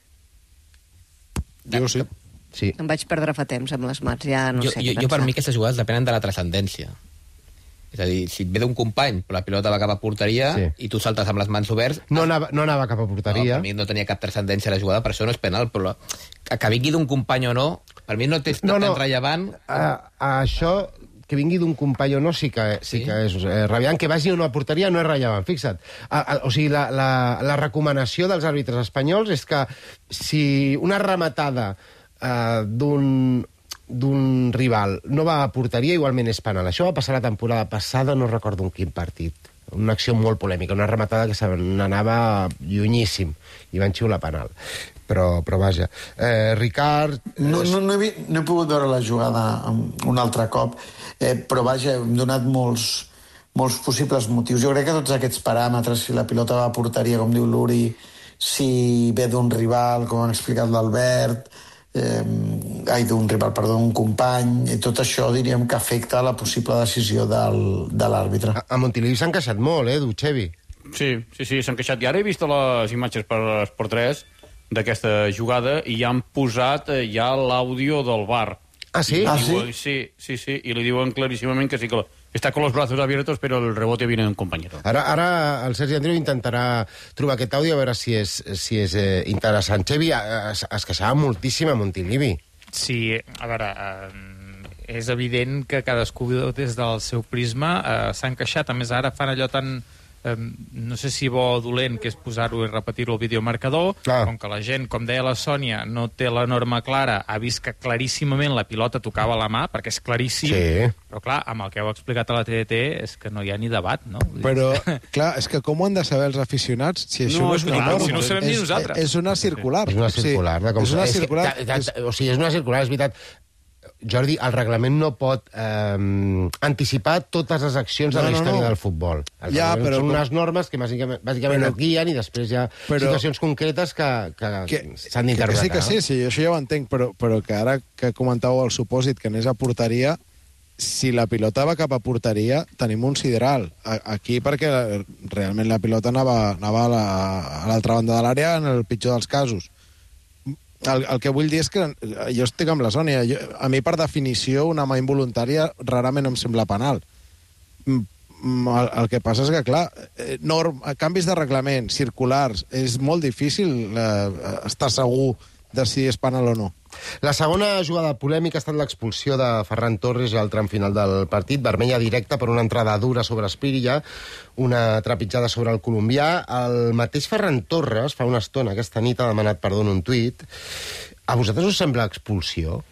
Jo sí. sí. Em vaig perdre fa temps amb les mans, ja no jo, sé jo, què jo per pensar. mi aquestes jugades depenen de la transcendència. És a dir, si et ve d'un company, però la pilota va cap a porteria sí. i tu saltes amb les mans oberts... No anava, no anava cap a porteria. No, per mi no tenia cap transcendència la jugada, per això no és penal, però la... que, que vingui d'un company o no, per mi no té no, no. tan rellevant... Uh, això, que vingui d'un company o no, sí que, sí, sí que és eh, rellevant. Que vagi o no a porteria no és rellevant, fixa't. Uh, uh, o sigui, la, la, la recomanació dels àrbitres espanyols és que si una rematada uh, d'un... d'un rival no va a porteria, igualment és penal. Això va passar la temporada passada, no recordo en quin partit. Una acció molt polèmica, una rematada que se n'anava llunyíssim i van xiular penal. Però, però vaja. Eh, Ricard... No, no, no, he, no he pogut veure la jugada un altre cop, eh, però vaja, hem donat molts, molts possibles motius. Jo crec que tots aquests paràmetres, si la pilota va a porteria, com diu l'Uri, si ve d'un rival, com han explicat l'Albert... Eh, ai, d'un rival, perdó, d'un company, i tot això diríem que afecta la possible decisió del, de l'àrbitre. A, a Montilivi s'han queixat molt, eh, Duchevi? Sí, sí, sí, s'han queixat. I ara he vist les imatges per Esport tres d'aquesta jugada i ja han posat ja l'àudio del V A R. Ah, sí? Ah, diuen, sí? Sí, sí, sí, i li diuen claríssimament que sí que està con los brazos abiertos, però el rebote viene un compañero. Ara, ara el Sergi Andreu intentarà trobar aquest àudio a veure si és, si és eh, interessant. Xevi, es, es queixava moltíssim a Montilivi. Sí, a veure, eh, és evident que cadascú des del seu prisma eh, s'han queixat. A més, ara fan allò tan... Eh, no sé si bo o dolent, que és posar-ho i repetir-ho al videomarcador, Clar. com que la gent, com deia la Sònia, no té la norma clara, ha vist que claríssimament la pilota tocava la mà, perquè és claríssim, sí. però clar, amb el que heu explicat a la T D T és que no hi ha ni debat, no? Però, clar, és que com ho han de saber els aficionats si això no, no és una clar, norma? si no ho sabem ni és, nosaltres. És una circular. És una circular. Sí, com és una és circular. Que, ta, ta, o sigui, és una circular, és veritat. Jordi, el reglament no pot eh, anticipar totes les accions de no, la història no, no. del futbol. El ja, però són com... unes normes que bàsicament, bàsicament però... et guien i després hi ha però... situacions concretes que, que, que s'han d'interpretar. Que sí, que sí, sí, això ja ho entenc, però, però que ara que comentàveu el supòsit que anés a porteria, si la pilota va cap a porteria, tenim un sideral. Aquí perquè realment la pilota anava, anava a l'altra banda de l'àrea en el pitjor dels casos. el, el que vull dir és que jo estic amb la Sònia. Jo, a mi, per definició, una mà involuntària rarament em sembla penal. El, el que passa és que, clar, norm, canvis de reglament, circulars, és molt difícil eh, estar segur de si és penal o no. La segona jugada polèmica ha estat l'expulsió de Ferran Torres al tram final del partit, vermella directa per una entrada dura sobre Espírilla, una trepitjada sobre el colombià. El mateix Ferran Torres, fa una estona, aquesta nit, ha demanat perdó en un tuit. A vosaltres us sembla expulsió?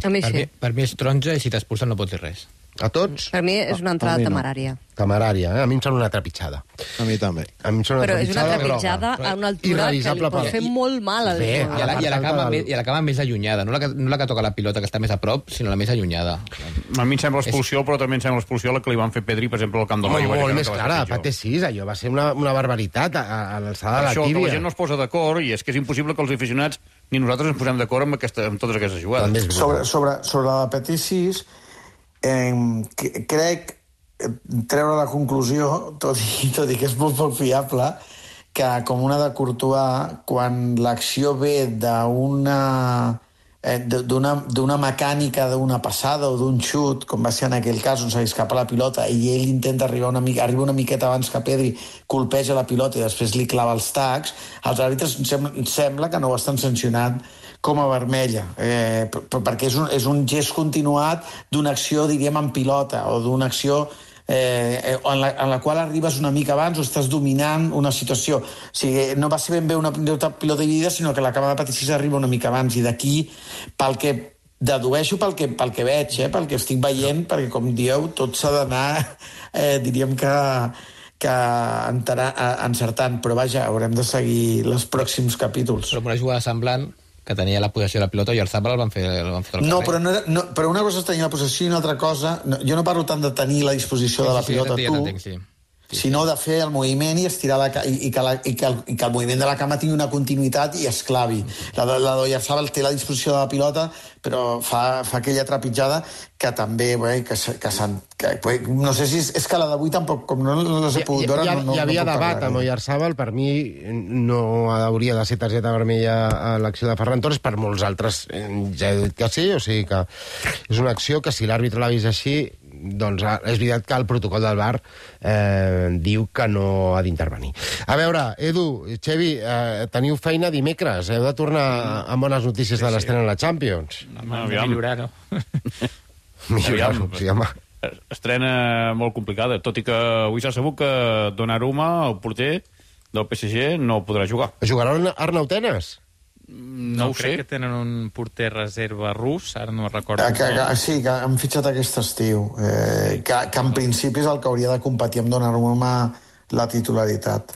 A mi Per sí. mi, per mi és taronja i si t'expulsen no pots dir res. A tots? Per mi és una entrada mi no. temerària. Temerària, eh? A mi em sembla una trepitjada. A mi també. A mi em sembla Però és una trepitjada trepitjada groga. a una altura que li Irrevisable pot pel- fer molt mal al Bé, I a jugador. la, i a la, part cama, del- més, i a la cama més allunyada, no la, que, no la que toca la pilota, que està més a prop, sinó la més allunyada. A mi em sembla expulsió, però també em sembla expulsió la que li van fer Pedri, per exemple, al camp del Molt, Rayo. molt més clara, a P T sis, allò va ser una, una barbaritat a, a l'alçada de la Això, que tíbia. la gent no es posa d'acord, i és que és impossible que els aficionats ni nosaltres ens posem d'acord amb, aquesta, amb totes aquestes jugades. També és brutal. Sobre, sobre, sobre la P T sis, eh, que- crec eh, treure la conclusió, tot i, tot i que és molt poc fiable, que com una de Courtois, quan l'acció ve d'una eh, d'una d'una mecànica d'una passada o d'un xut, com va ser en aquell cas on se li escapa la pilota i ell intenta arribar una mica, arriba una miqueta abans que Pedri, colpeja la pilota i després li clava els tacs, els àrbitres sembla, sembla que no ho estan sancionant com a vermella, eh, perquè és un, és un gest continuat d'una acció, diríem, en pilota, o d'una acció eh, en, la, en la qual arribes una mica abans o estàs dominant una situació. O sigui, no va ser ben bé una pilota, pilota dividida, sinó que la cama de P T sis arriba una mica abans, i d'aquí, pel que dedueixo pel que, pel que veig, eh, pel que estic veient, perquè, com dieu, tot s'ha d'anar, eh, diríem que que entarà, encertant, però vaja, haurem de seguir els pròxims capítols. Però amb una jugada semblant, que tenia la possessió de la pilota, i el Zabal el van fer, el van fer al No, carrer. però, no era, no, però una cosa és tenir la possessió i una altra cosa... No, jo no parlo tant de tenir la disposició de la Sí, sí, pilota ja tu, t'entenc, sí. sinó de fer el moviment i estirar la, ca- i, i, que la, i, que el, i que el moviment de la cama tingui una continuïtat i es clavi. La, de- la d'Oyarzabal té la disposició de la pilota, però fa, fa aquella trepitjada que també, bé, que, se- que, s'han- que bé, no sé si és, és que la d'avui tampoc, com no les he pogut veure, hi, ha, no, no, hi havia no puc debat parlar. amb Oyarzabal, per mi no hauria de ser targeta vermella a l'acció de Ferran Torres, per molts altres eh, ja he dit que sí, o sigui que és una acció que si l'àrbitre l'ha vist així, doncs ah, és veritat que el protocol del V A R eh, diu que no ha d'intervenir. A veure, Edu, Xevi, eh, teniu feina dimecres, heu de tornar amb bones notícies Sí, de sí. l'estrena a la Champions. Hem de millorar, no? Millorar-ho, sí, home. Estrena molt complicada, tot i que avui s'ha sabut que Donnarumma, el porter del P S G, no podrà jugar. Jugarà Arnau Tenas? No, ho crec sé. que tenen un porter reserva rus, ara no recordo. Que, que, que, sí, que han fitxat aquest estiu, eh, que, que en principi és el que hauria de competir amb Donnarumma la titularitat.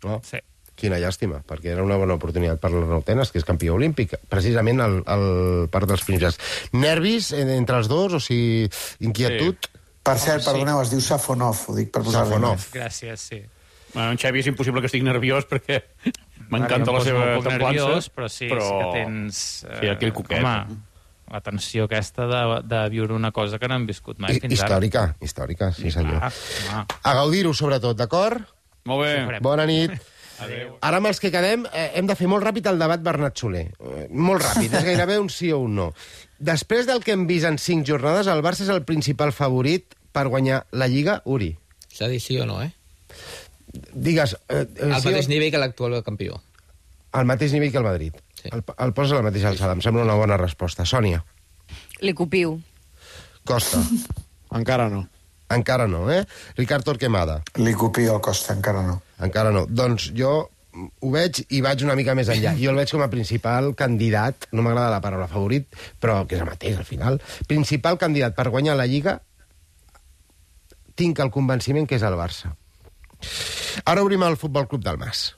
Oh, Sí. quina llàstima, perquè era una bona oportunitat per l'Arnau Tenas, que és campió olímpic, precisament el, el part dels primers. Nervis en- entre els dos, o sigui, inquietud? Sí. Per cert, sí. perdoneu, es diu Safonov, ho dic per posar-li. Safonov. Gràcies, sí. Bueno, en Xavi és impossible que estigui nerviós perquè Ara m'encanta jo em la poso seva un poc templança. nerviós, però sí, però... sí que tens... Eh, Sí, aquell coquet. Home, la tensió aquesta de, de viure una cosa que no hem viscut mai I, fins ara. històrica, històrica, sí senyor. Ah, home. A gaudir-ho, sobretot, d'acord? Molt bé. farem. Bona nit. Ara amb els que quedem eh, hem de fer molt ràpid el debat Bernat Soler. Eh, molt ràpid, és gairebé un sí o un no. Després del que hem vist en cinc jornades, el Barça és el principal favorit per guanyar la Lliga, Uri. S'ha dit sí o no, eh? Digues... Eh, eh, Al sí mateix o- nivell que l'actual campió. Al mateix nivell que el Madrid. Sí. El, el poses a la mateixa alçada. Em sembla una bona resposta. Sònia, Li copio. Costa. Encara no. Encara no, eh? Ricard Torquemada. Li copio el Costa, encara no. Encara no. Doncs jo ho veig i vaig una mica més enllà. Jo el veig com a principal candidat, no m'agrada la paraula favorit, però que és el mateix al final, principal candidat per guanyar la Lliga, tinc el convenciment que és el Barça. Ara obrim el Futbol Club del Mas.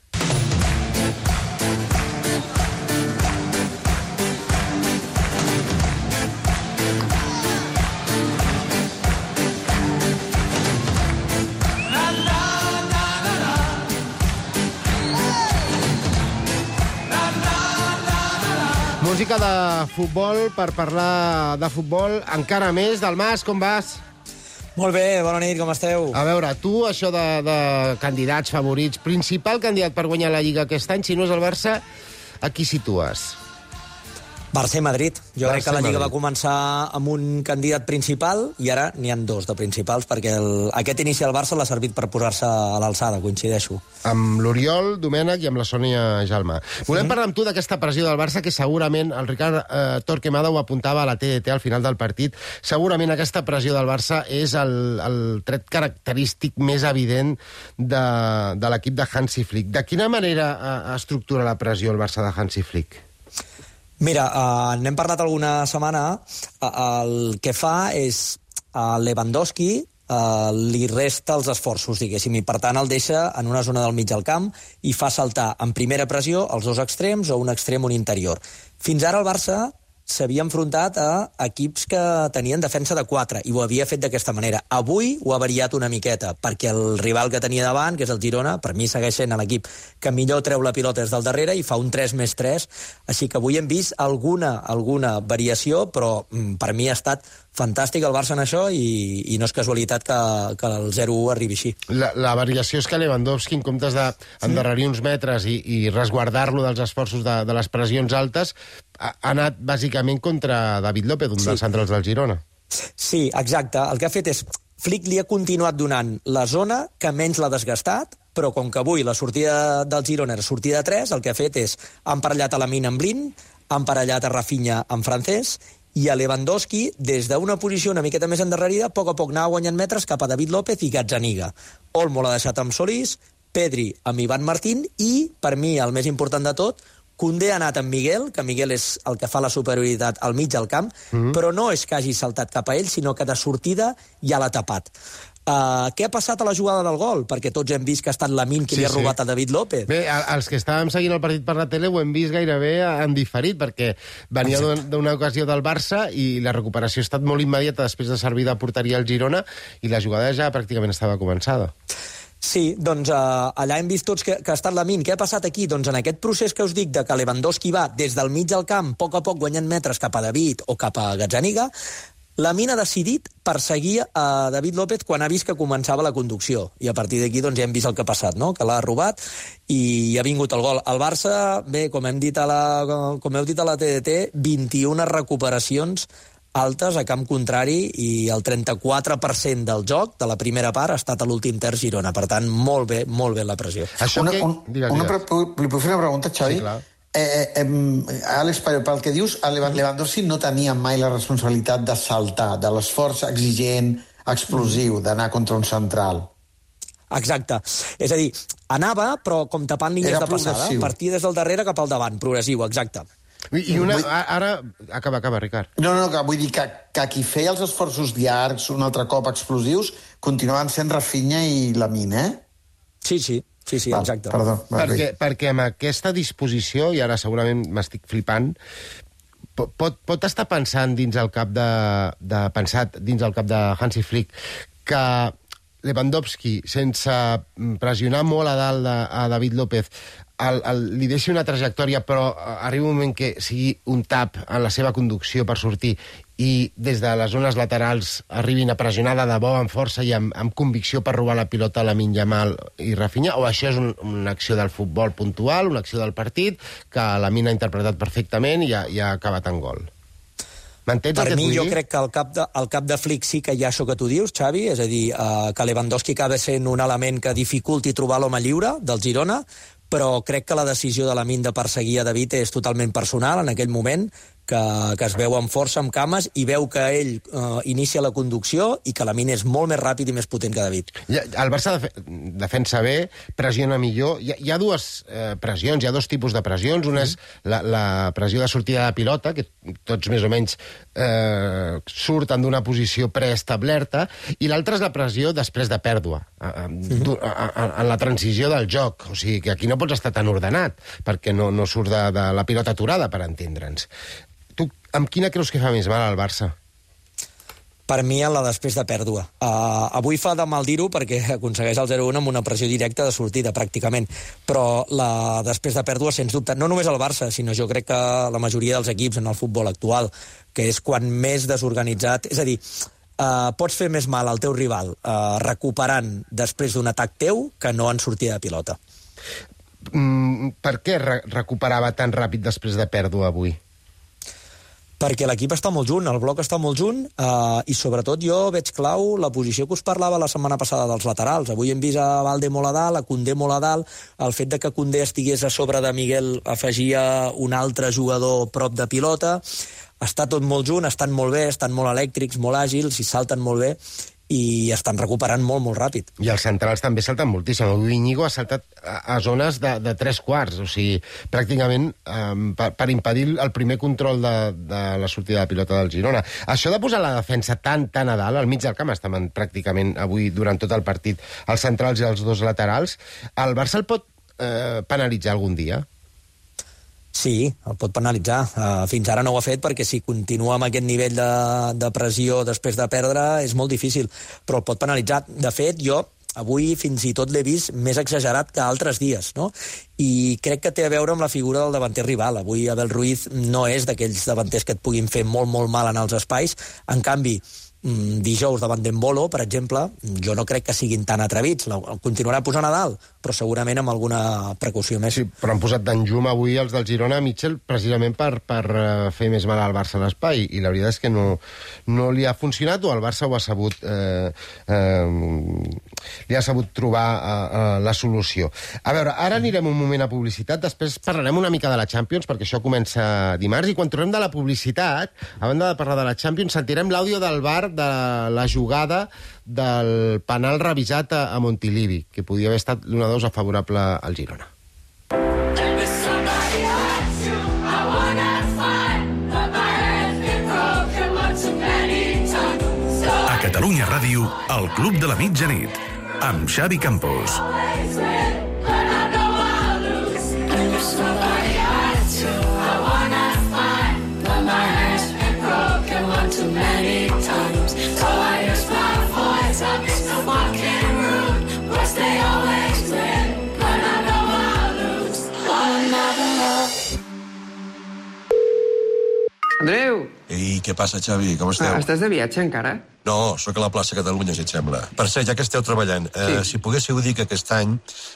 Música de futbol per parlar de futbol encara més. Del Mas, com vas? Molt bé, bona nit, com esteu? A veure, tu, això de, de candidats favorits, principal candidat per guanyar la Lliga aquest any, si no és el Barça, a qui situes? Barça i Madrid. Jo Barça crec que la i Lliga Madrid. va començar amb un candidat principal i ara n'hi han dos de principals, perquè el, aquest inici del Barça l'ha servit per posar-se a l'alçada, coincideixo. Amb l'Oriol Domènech i amb la Sònia Jalma. Volem Mhm. parlar amb tu d'aquesta pressió del Barça, que segurament, el Ricard eh, Torquemada ho apuntava a la T D T al final del partit, segurament aquesta pressió del Barça és el, el tret característic més evident de, de l'equip de Hansi Flick. De quina manera eh, estructura la pressió el Barça de Hansi Flick? Mira, uh, n'hem parlat alguna setmana. Uh, el que fa és uh, Lewandowski uh, li resta els esforços, diguéssim, i per tant el deixa en una zona del mig del camp i fa saltar en primera pressió els dos extrems o un extrem o un interior. Fins ara el Barça s'havia enfrontat a equips que tenien defensa de quatre i ho havia fet d'aquesta manera. Avui ho ha variat una miqueta, perquè el rival que tenia davant, que és el Girona, per mi segueix sent l'equip que millor treu la pilota des del darrere i fa un tres més tres, així que avui hem vist alguna, alguna variació, però mm, per mi ha estat fantàstic el Barça en això i, i no és casualitat que, que el zero u arribi així. La, la variació és que Lewandowski, en comptes d'endarrerir uns metres i, i resguardar-lo dels esforços de, de les pressions altes, ha, ha anat bàsicament contra David López, un Sí. dels centrals del Girona. Sí, exacte. El que ha fet és... Flick li ha continuat donant la zona que menys l'ha desgastat, però com que avui la sortida del Girona era sortida de tres, el que ha fet és ha emparellat a Lamine amb Blin, ha emparellat a Rafinha amb Francés, i a Lewandowski, des d'una posició una miqueta més endarrerida, a poc a poc anava guanyant metres cap a David López i Gazzaniga. Olmo l'ha deixat amb Solís, Pedri amb Ivan Martín i, per mi, el més important de tot, Koundé ha anat amb Miguel, que Miguel és el que fa la superioritat al mig del camp, mm-hmm. però no és que hagi saltat cap a ell, sinó que de sortida ja l'ha tapat. Uh, què ha passat a la jugada del gol? Perquè tots hem vist que ha estat Lamine qui Sí, li ha sí. robat a David López. Bé, a- els que estàvem seguint el partit per la tele ho hem vist gairebé en diferit, perquè venia d'una- d'una ocasió del Barça i la recuperació ha estat molt immediata després de servir de porteria al Girona i la jugada ja pràcticament estava començada. Sí, doncs uh, allà hem vist tots que, que ha estat Lamine. Què ha passat aquí? Doncs en aquest procés que us dic de que Lewandowski va des del mig del camp, a poc a poc guanyant metres cap a David o cap a Gazzaniga, Lamine ha decidit perseguir a David López quan ha vist que començava la conducció. I a partir d'aquí doncs, ja hem vist el que ha passat, no? Que l'ha robat i ha vingut el gol. El Barça, bé, com hem dit a la, com heu dit a la T D T, vint-i-una recuperacions altes a camp contrari i el trenta-quatre per cent del joc de la primera part ha estat a l'últim terç Girona. Per tant, molt bé, molt bé la pressió. Una, un, una, pre- li puc fer una pregunta, Xavi? Sí, clar. Eh, eh, Àlex, pel pel que dius, a Levan- Lewandowski no tenia mai la responsabilitat de saltar, de l'esforç exigent, explosiu, d'anar contra un central. Exacte. És a dir, anava, però com tapant línies Era de passada. progressiu. Partia des del darrere cap al davant. Progressiu, exacte. I, i una, ara... Acaba, acaba, Ricard. No, no, que vull dir que, que qui feia els esforços llargs, un altre cop explosius, continuaven sent Rafinha i Lamine, eh? Sí, sí. Sí, sí, Val, exacte. Perdó. va, Perquè, bé. perquè amb aquesta disposició, i ara segurament m'estic flipant, po- pot, pot estar pensant dins el cap de, de pensat dins el cap de Hansi Flick que Lewandowski, sense pressionar molt a dalt de, a David López, el, el, li deixi una trajectòria, però arriba un moment que sigui un tap en la seva conducció per sortir i des de les zones laterals arribin a pressionar de debò amb força i amb, amb convicció per robar la pilota a Lamine Yamal i Rafinha, o això és un, una acció del futbol puntual, una acció del partit que Lamine ha interpretat perfectament i ha, i ha acabat en gol? M'entens el Per que et mi, vull jo dir? crec que al cap, de, al cap de Flick sí que hi ha això que tu dius, Xavi, és a dir, eh, que Lewandowski acaba sent un element que dificulti trobar l'home lliure del Girona, però crec que la decisió de Lamine de perseguir a David és totalment personal en aquell moment, que, que es veu amb força, amb cames, i veu que ell eh, inicia la conducció i que Lamine és molt més ràpid i més potent que David. Ja, el Barça defe defensa bé, pressiona millor. Hi ha, hi ha dues eh, pressions, hi ha dos tipus de pressions. Una és la, la pressió de sortida de pilota, que tots més o menys eh, surten d'una posició preestablerta, i l'altra és la pressió després de pèrdua, a, a, mm-hmm. a, a, en la transició del joc. O sigui, que aquí no pots estar tan ordenat, perquè no, no surt de, de la pilota aturada, per entendre'ns. Tu, amb quina creus que fa més mal al Barça? Per mi, en la després de pèrdua. Uh, avui fa de mal dir-ho perquè aconsegueix el zero a un amb una pressió directa de sortida, pràcticament. Però la després de pèrdua, sens dubte, no només el Barça, sinó jo crec que la majoria dels equips en el futbol actual, que és quan més desorganitzat... És a dir, uh, pots fer més mal al teu rival uh, recuperant després d'un atac teu que no en sortida de pilota. Mm, per què re recuperava tan ràpid després de pèrdua avui? perquè l'equip està molt junt, el bloc està molt junt, eh, i sobretot jo veig clau la posició que us parlava la setmana passada dels laterals. Avui hem vist a Valde molt a dalt, a Koundé molt a dalt, el fet de que Koundé estigués a sobre de Miguel afegia un altre jugador prop de pilota. Està tot molt junt, estan molt bé, estan molt elèctrics, molt àgils, i salten molt bé, i estan recuperant molt, molt ràpid. I els centrals també salten moltíssim. Avui Íñigo ha saltat a, a zones de, de tres quarts, o sigui, pràcticament eh, per, per impedir el primer control de, de la sortida de pilota del Girona. Això de posar la defensa tan, tan a dalt, al mig del camp estaven pràcticament avui, durant tot el partit, els centrals i els dos laterals, el Barça el pot eh, penalitzar algun dia? Sí, el pot penalitzar. Uh, fins ara no ho ha fet perquè si continua amb aquest nivell de, de pressió després de perdre és molt difícil, però el pot penalitzar. De fet, jo avui fins i tot l'he vist més exagerat que altres dies, no? I crec que té a veure amb la figura del davanter rival. Avui Abel Ruiz no és d'aquells davanters que et puguin fer molt, molt mal en els espais. En canvi, dijous davant d'Embolo, per exemple, jo no crec que siguin tan atrevits. El continuarà posant a dalt, però segurament amb alguna precaució més. Sí, però han posat d'enjum avui els del Girona a Mitchell precisament per, per fer més mal al Barça a l'espai, i la veritat és que no, no li ha funcionat, o el Barça ho ha sabut eh, eh, li ha sabut trobar eh, la solució. A veure, ara anirem un moment a publicitat, després parlarem una mica de la Champions, perquè això comença dimarts, i quan tornem de la publicitat, a banda de parlar de la Champions, sentirem l'àudio del V A R de la jugada del penal revisat a, a Montilivi, que podia haver estat l'una dos a favorable al Girona. A Catalunya Ràdio, el Club de la Mitjanit, amb Xavi Campos. Andreu! Ei, què passa, Xavi? Com esteu? Ah, estàs de viatge encara? No, sóc a la plaça Catalunya, si et sembla. Per cert, ja que esteu treballant, sí. eh, si poguéssiu dir que aquest any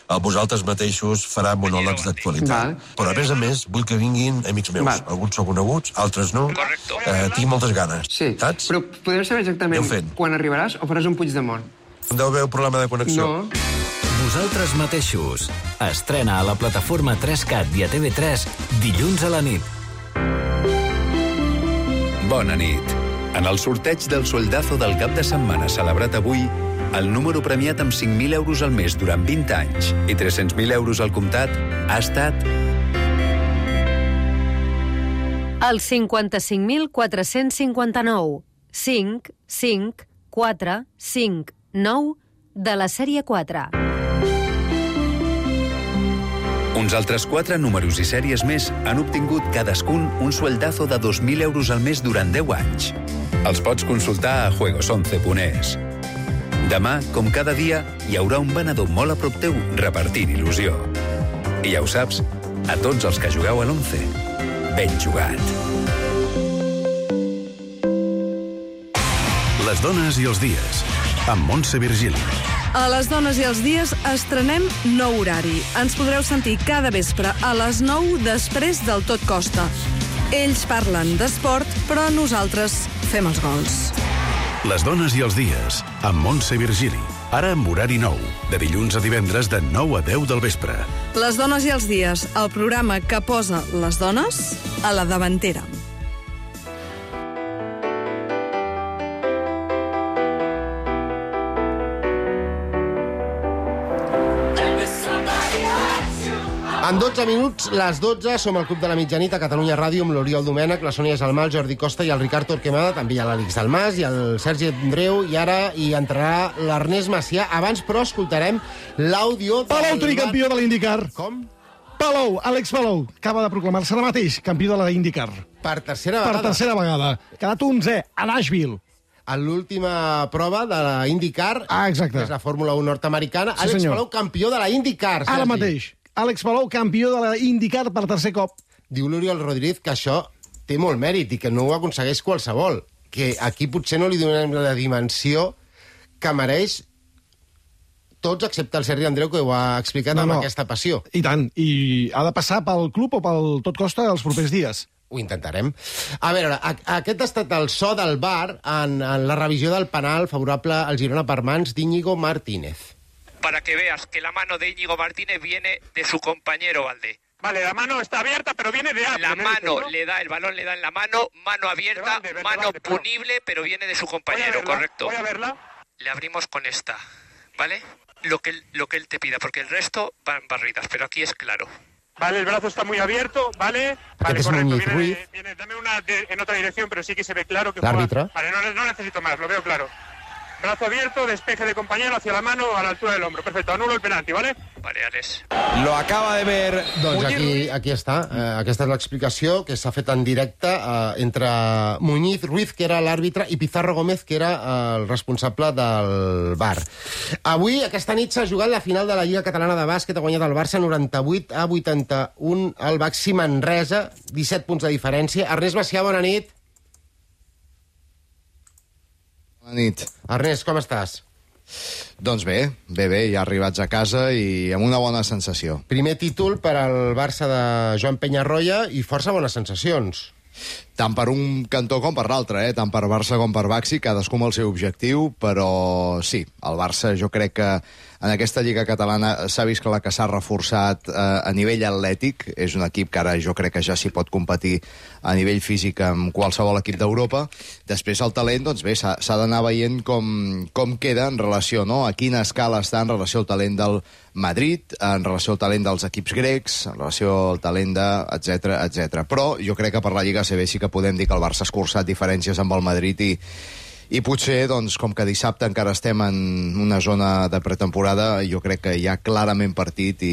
a vosaltres mateixos farà monòlegs d'actualitat. Però, a més a més, vull que vinguin amics meus. Val. Alguns són coneguts, altres no. Eh, tinc moltes ganes. Sí, saps? Però podem saber exactament quan arribaràs o faràs un Puigdemont? Deu haver un problema de connexió. No. Vosaltres mateixos. Estrena a la plataforma tres cat i a T V tres dilluns a la nit. Bona nit. En el sorteig del soldazo del cap de setmana celebrat avui, el número premiat amb cinc mil euros al mes durant vint anys i tres-cents mil euros al comptat ha estat... El cinquanta-cinc mil quatre-cents cinquanta-nou. cinc, cinc, quatre, cinc, nou de la sèrie quatre. Uns altres quatre números i sèries més han obtingut cadascun un sueldazo de dos mil euros al mes durant deu anys. Els pots consultar a juegos once punt es. Demà, com cada dia, hi haurà un venedor molt a prop teu repartint il·lusió. I ja ho saps, a tots els que jugueu a l'once, ben jugat. Les dones i els dies, amb Montse Virgili. A les dones i els dies estrenem nou horari. Ens podreu sentir cada vespre a les nou després del Tot Costa. Ells parlen d'esport, però nosaltres fem els gols. Les dones i els dies, amb Montse Virgili. Ara amb horari nou, de dilluns a divendres de nou a deu del vespre. Les dones i els dies, el programa que posa les dones a la davantera. En dotze minuts, les dotze, som al Club de la Mitjanit a Catalunya Ràdio amb l'Oriol Domènech, la Sònia Salmà, el Jordi Costa i el Ricard Torquemada, també hi ha l'Àlex Dalmàs i el Sergi Andreu, i ara hi entrarà l'Ernest Macià. Abans, però, escoltarem l'àudio... Palou, tricampió de l'IndyCar. Com? Palou, Àlex Palou, acaba de proclamar-se ara mateix campió de la IndyCar. Per tercera vegada. Per tercera vegada. Quedat onzè a Nashville. A l'última prova de la IndyCar, ah, exacte. Que és la Fórmula un nord-americana, sí, Àlex senyor. Palou, campió de la IndyCar. Ara Sergi. mateix. Àlex Palou, campió de la IndyCar per tercer cop. Diu l'Oriol Rodríguez que això té molt mèrit i que no ho aconsegueix qualsevol. Que aquí potser no li donem la dimensió que mereix tots, excepte el Sergi Andreu, que ho ha explicat no, amb no. aquesta passió. I tant. I ha de passar pel club o pel Tot Costa els propers dies. Ho intentarem. A veure, a, aquest ha estat el so del V A R en, en la revisió del penal favorable al Girona per mans d'Íñigo Martínez. Para que veas que la mano de Íñigo Martínez viene de su compañero Valdé. Vale, la mano está abierta, pero viene de La mano le da, el balón le da en la mano, mano abierta, Verde, verde, mano verde, pero- punible, pero viene de su compañero, verla, correcto. voy a verla. Le abrimos con esta, ¿vale? Lo que, él- lo que él te pida, porque el resto van barridas, pero aquí es claro. Vale, el brazo está muy abierto, ¿vale? Vale, es correcto, Muñiz viene, Ruiz. viene- dame una de- en otra dirección, pero sí que se ve claro que L'àrbitre. juega- Vale, no, no necesito más, lo veo claro. Brazo abierto, despeje de compañero hacia la mano a la altura del hombro. Perfecto, anulo el penalti, ¿vale? Vale, Alex. Lo acaba de ver Doncs aquí, aquí està. Eh, aquesta és l'explicació que s'ha fet en directe eh, entre Muñiz Ruiz, que era l'àrbitre, i Pizarro Gómez, que era eh, el responsable del V A R. Avui, aquesta nit, s'ha jugat la final de la Lliga Catalana de Bàsquet. Ha guanyat el Barça noranta-vuit a vuitanta-un al Baxi Manresa, disset punts de diferència. Ernest Macià, bona nit. Bona nit. Ernest, com estàs? Doncs bé, bé, bé, ja arribats a casa i amb una bona sensació. Primer títol per al Barça de Joan Peñarroya i força bones sensacions. Tant per un cantó com per l'altre, eh? Tant per Barça com per Baxi, cadascú amb el seu objectiu, però sí, el Barça jo crec que en aquesta Lliga Catalana s'ha vist que la que s'ha reforçat eh, a nivell atlètic, és un equip que ara jo crec que ja s'hi pot competir a nivell físic amb qualsevol equip d'Europa. Després el talent, doncs bé, s'ha s'ha d'anar veient com, com queda en relació, no?, a quina escala està en relació al talent del Madrid, en relació al talent dels equips grecs, en relació al talent de... etcètera, etcètera. Però jo crec que per la Lliga A C B sí que podem dir que el Barça ha escurçat diferències amb el Madrid i, i potser, doncs, com que dissabte encara estem en una zona de pretemporada, jo crec que hi ha clarament partit i,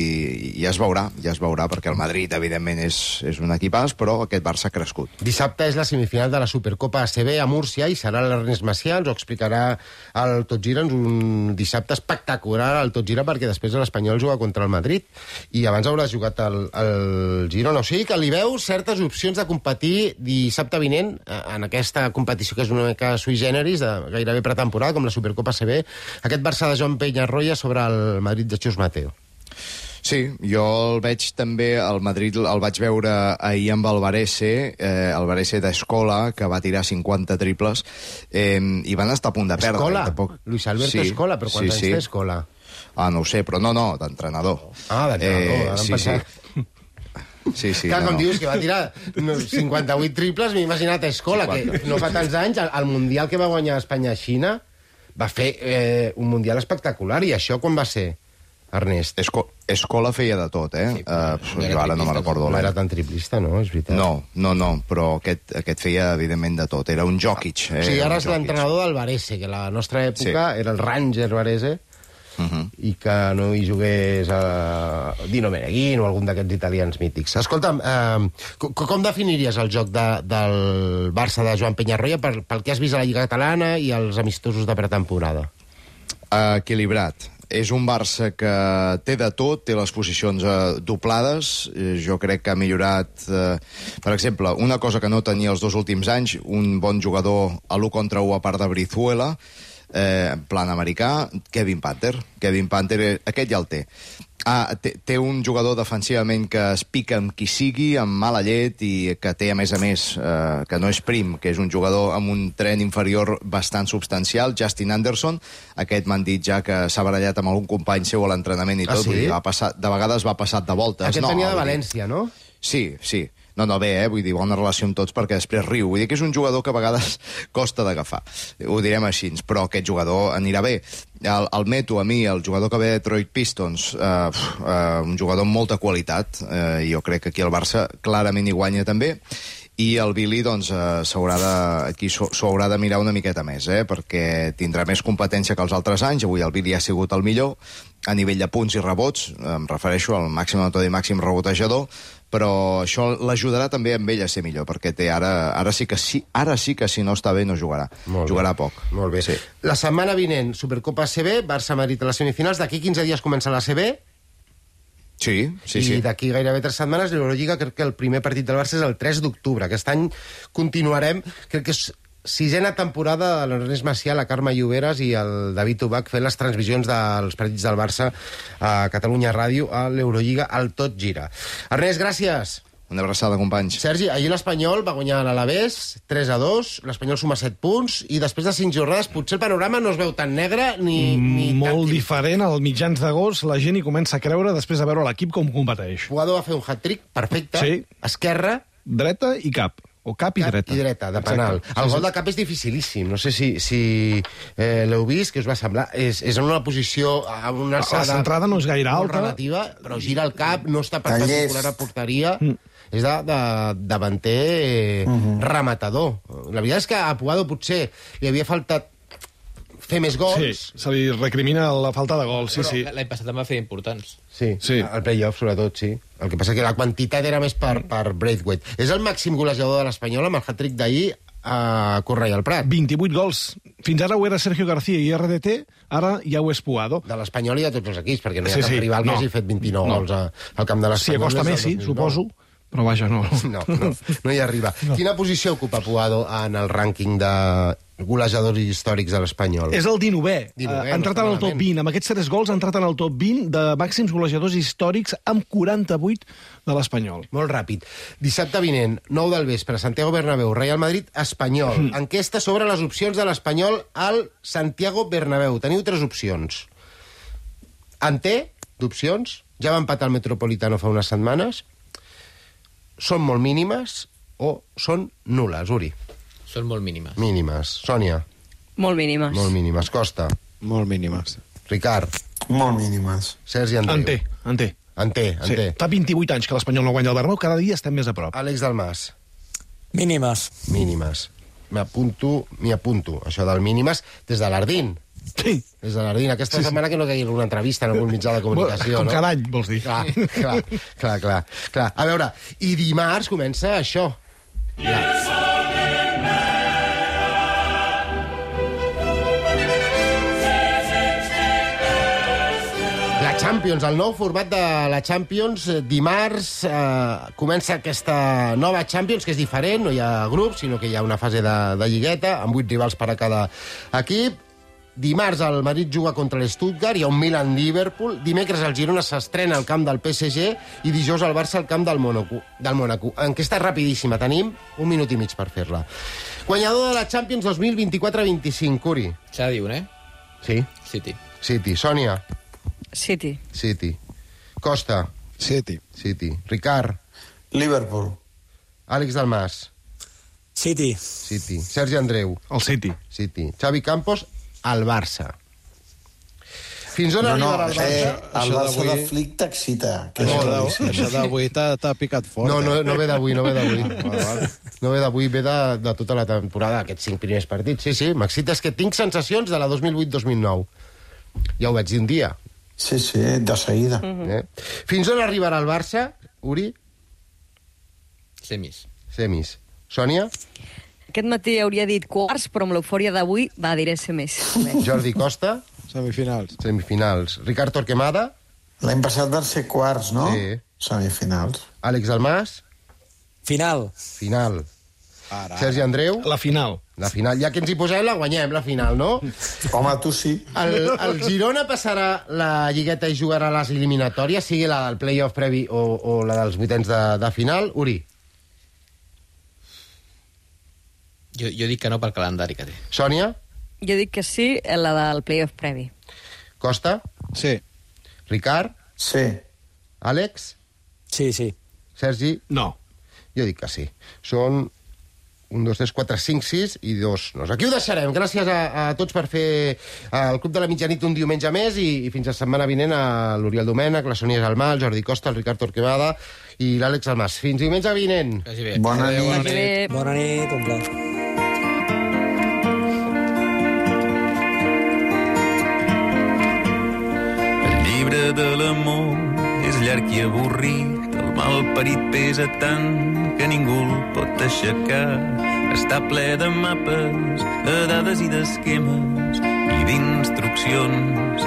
i ja es veurà, ja es veurà, perquè el Madrid, evidentment, és, és un equipàs, però aquest Barça ha crescut. Dissabte és la semifinal de la Supercopa A C B a Múrcia i serà l'Ernest Macià, ens ho explicarà el Tot Gira, un dissabte espectacular al Tot Gira, perquè després l'Espanyol juga contra el Madrid i abans haurà jugat el, el Girona. O sigui que li veu certes opcions de competir dissabte vinent en aquesta competició que és una mica sui generis, de gairebé pretemporada, com la Supercopa A C B, aquest Barça de Joan Peñarroya sobre el Madrid de Chus Mateo. Sí, jo el veig també, el Madrid el vaig veure ahir amb el Varese, eh, el Varese d'Escola, que va tirar cinquanta triples, eh, i van estar a punt de perdre. Escola? Tampoc... Luis Alberto sí, Escola, però quants sí, anys sí. té Escola? Ah, no ho sé, però no, no, d'entrenador. Ah, d'entrenador, Eh, ara em sí, pensava- sí. Sí, sí, Clar, no, com no. dius que va tirar cinquanta-vuit triples, m'he imaginat a Escola, que no fa tants anys, al, al Mundial que va guanyar Espanya-Xina, va fer eh, un Mundial espectacular, i això quan va ser, Ernest? Esco Escola feia de tot, eh? Uh, jo ara no me'n recordo. No era tan triplista, no? És veritat. No, no, no, però aquest, aquest feia, evidentment, de tot. Era un Jokic. Eh? O sigui, ara Era un és Jokic. l'entrenador del Varese, que a la nostra època Sí. era el Ranger Varese, Uh -huh. i que no hi jugués a Dino Meneghino o algun d'aquests italians mítics. Escolta'm, eh, com, com definiries el joc de, del Barça de Joan Peñarroya per, pel que has vist a la Lliga Catalana i els amistosos de pretemporada? Equilibrat. És un Barça que té de tot, té les posicions eh, doblades. Eh, jo crec que ha millorat... Eh, per exemple, una cosa que no tenia els dos últims anys, un bon jugador a l'u contra u a part de Brizuela, eh, en plan americà, Kevin Panther. Kevin Panther, eh, aquest ja el té. Ah, té, té un jugador defensivament que es pica amb qui sigui, amb mala llet, i que té, a més a més, eh, que no és prim, que és un jugador amb un tren inferior bastant substancial, Justin Anderson. Aquest m'han dit ja que s'ha barallat amb algun company seu a l'entrenament i Ah, tot, sí? vull dir, va passar, de vegades va passat de voltes. Aquest no, venia de vull dir- València, no? Sí, sí. No, no, bé, eh? Vull dir, bona relació amb tots perquè després riu. Vull dir que és un jugador que a vegades costa d'agafar. Ho direm així, però aquest jugador anirà bé. El, el Meto, a mi, el jugador que ve de Detroit Pistons, eh, eh, un jugador amb molta qualitat, eh, jo crec que aquí el Barça clarament hi guanya també, i el Billy, doncs, eh, s'haurà de, aquí s'ho s'ho haurà de mirar una miqueta més, eh, perquè tindrà més competència que els altres anys. Avui el Billy ha sigut el millor a nivell de punts i rebots, em refereixo al màxim anotador i màxim rebotejador, però això l'ajudarà també amb ell a ser millor, perquè té ara, ara sí que sí, ara sí que si no està bé no jugarà. Molt jugarà bé. poc. Molt bé. Sí. La setmana vinent, Supercopa A C B, Barça-Madrid a les semifinals, d'aquí quinze dies comença la A C B, Sí, sí, i sí. d'aquí gairebé tres setmanes l'Eurolliga. Crec que el primer partit del Barça és el tres d'octubre. Aquest any continuarem, crec que és sisena temporada de l'Ernest Macià, la Carme Lloberes i el David Ubach fent les transmissions dels partits del Barça a Catalunya Ràdio, a l'Eurolliga, al Tot Gira. Ernest, gràcies. Una abraçada, companys. Sergi, ahir l'Espanyol va guanyar l'Alavés tres a dos, l'Espanyol suma set punts, i després de cinc jornades potser el panorama no es veu tan negre ni... ni Molt tan... diferent, als mitjans d'agost la gent hi comença a creure després de veure l'equip com competeix. Puado va fer un hat-trick perfecte, Sí. esquerra... Dreta i cap. O cap i Cap dreta. i dreta, de penal. Exacte. El Sí, gol sí. de cap és dificilíssim. No sé si, si eh, l'heu vist, què us va semblar. És, és en una posició, amb una alçada... La centrada no és gaire molt alta. relativa, però gira el cap, no està Tallers. perpendicular a porteria. Mm. És de, de davanter eh, Mhm. rematador. La veritat és que a Puado potser li havia faltat fer més Sí, gols. se li recrimina la falta de gols, sí, Però sí. l'any passat em va fer importants. Sí, Sí. el play-off, sobretot, sí. El que passa que la quantitat era més per, per Braithwaite. És el màxim golejador de l'Espanyol amb el hat-trick d'ahir a Correia al Prat. vint-i-vuit gols. Fins ara ho era Sergio García i R D T, ara ja ho és Puado. De l'Espanyol i de tots els equips, perquè no hi ha Sí, cap sí. rival que No. hagi fet vint-i-nou No. gols a, al camp de Si l'Espanyol. acosta des del Messi, dos mil nou. suposo, però vaja, no. No, no, no hi arriba. No. Quina posició ocupa Puado en el rànquing de golejadors històrics de l'Espanyol? És el dinovè. Dinovè, Ha entrat no està en el top malament. vint. Amb aquests tres gols ha entrat en el top vint de màxims golejadors històrics amb quaranta-vuit de l'Espanyol. Molt ràpid. Dissabte vinent, nou del vespre, Santiago Bernabéu, Real Madrid, Espanyol. Mm. Enquesta sobre les opcions de l'Espanyol al Santiago Bernabéu. Teniu tres opcions. En té, d'opcions, ja va empatar el Metropolitano fa unes setmanes, són molt mínimes o són nules, Uri? Són molt mínimes. Mínimes. Sònia? Molt mínimes. Molt mínimes. Costa? Molt mínimes. Ricard? Molt mínimes. Sergi Andreu? En té, en té. En té, en Sí. té. Fa vint-i-vuit anys que l'Espanyol no guanya el Bernabéu, cada dia estem més a prop. Àlex Dalmas? Mínimes. Mínimes. M'apunto, m'hi apunto, això del mínimes, des de l'Ardín. Sí. Des de l'Ardín. Aquesta Sí, sí, sí. setmana que no caigui alguna entrevista en algun mitjà de comunicació, Com no? cada any, vols dir. Clar, clar, clar, clar, clar. A veure, i dimarts comença això. La... La Champions, el nou format de la Champions. Dimarts eh, comença aquesta nova Champions, que és diferent, no hi ha grups, sinó que hi ha una fase de, de lligueta, amb vuit rivals per a cada equip. Dimarts el Madrid juga contra l'Stuttgart, hi ha un Milan-Liverpool. Dimecres el Girona s'estrena al camp del P S G i dijous el Barça al camp del Mónaco. Del Mónaco. Enquesta rapidíssima, tenim un minut i mig per fer-la. Guanyador de la Champions dos mil vint-i-quatre vint-i-cinc, Uri. S'ha de dir un, eh? Sí? City. City. Sònia? City. City. Costa? City. City. Ricard? Liverpool. Àlex Dalmas? City. City. Sergi Andreu? El City. City. Xavi Campos? El Barça. Fins on No, no, arribarà el Barça? eh, el Això Barça de d'avui- Flick t'excita. que Això és de- claríssim. això d'avui t'ha t'ha picat fort. No, no, eh? no ve d'avui, no ve d'avui. Val, val. No ve d'avui, ve de, de tota la temporada, aquests cinc primers partits. Sí, sí, m'excita, és que tinc sensacions de la dos mil vuit dos mil nou. Ja ho vaig dir un dia. Sí, sí, de seguida. Eh? Fins on arribarà el Barça, Uri? Semis. Semis. Sònia? Aquest matí hauria dit quarts, però amb l'eufòria d'avui va dir ese més. Jordi Costa? Semifinals. Semifinals. Ricard Torquemada? L'any passat van ser quarts, no? Sí. Semifinals. Àlex Dalmas? Final. Final. Ara. Sergi Andreu? La final. La final. Ja que ens hi posem, la guanyem, la final, no? Home, tu sí. El, el Girona passarà la lligueta i jugarà les eliminatòries, sigui la del play-off previ o, o la dels vuitens de, de final. Uri? Jo, jo dic que no pel calendari que té. Sònia? Jo dic que sí, la del playoff previ. Costa? Sí. Ricard? Sí. Àlex? Sí, sí. Sergi? No. Jo dic que sí. Són un, dos, tres, quatre, cinc, sis i dos nos. Aquí ho deixarem. Gràcies a, a tots per fer el Club de la Mitjanit un diumenge més i, i fins la setmana vinent a l'Oriol Domènech, la Sònia Salmà, el Jordi Costa, el Ricard Torquemada i l'Àlex Almas. Fins diumenge vinent. Quasi bé. Bona Adéu, nit. Bona nit. Bona nit, un plaer. El llibre de l'amor és llarg i avorrit, el malparit pesa tant que ningú el pot aixecar. Està ple de mapes, de dades i d'esquemes i d'instruccions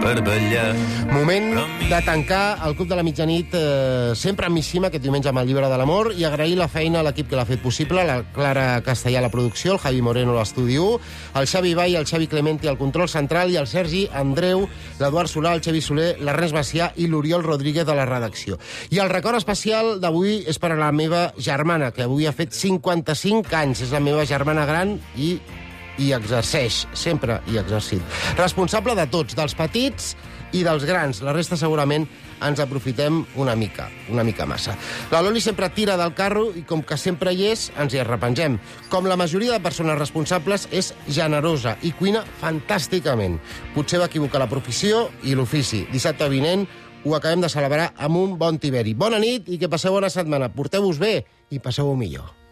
per ballar. Moment de tancar el Club de la Mitjanit eh, sempre amb Missima, aquest diumenge amb el Llibre de l'Amor, i agrair la feina a l'equip que l'ha fet possible, la Clara Castellà a la producció, el Javi Moreno a l'estudi u, el Xavi Vall, el Xavi Clementi al control central i el Sergi Andreu, l'Eduard Solà, el Xavi Soler, l'Ernest Macià i l'Oriol Rodríguez de la redacció. I el record especial d'avui és per a la meva germana, que avui ha fet cinquanta-cinc anys. És la meva germana gran i i exerceix, sempre hi ha exercit. Responsable de tots, dels petits i dels grans. La resta segurament ens aprofitem una mica, una mica massa. La Loli sempre tira del carro i com que sempre hi és, ens hi arrepengem. Com la majoria de persones responsables, és generosa i cuina fantàsticament. Potser va equivocar la professió i l'ofici. Dissabte vinent ho acabem de celebrar amb un bon tiberi. Bona nit i que passeu bona setmana. Porteu-vos bé i passeu-ho millor.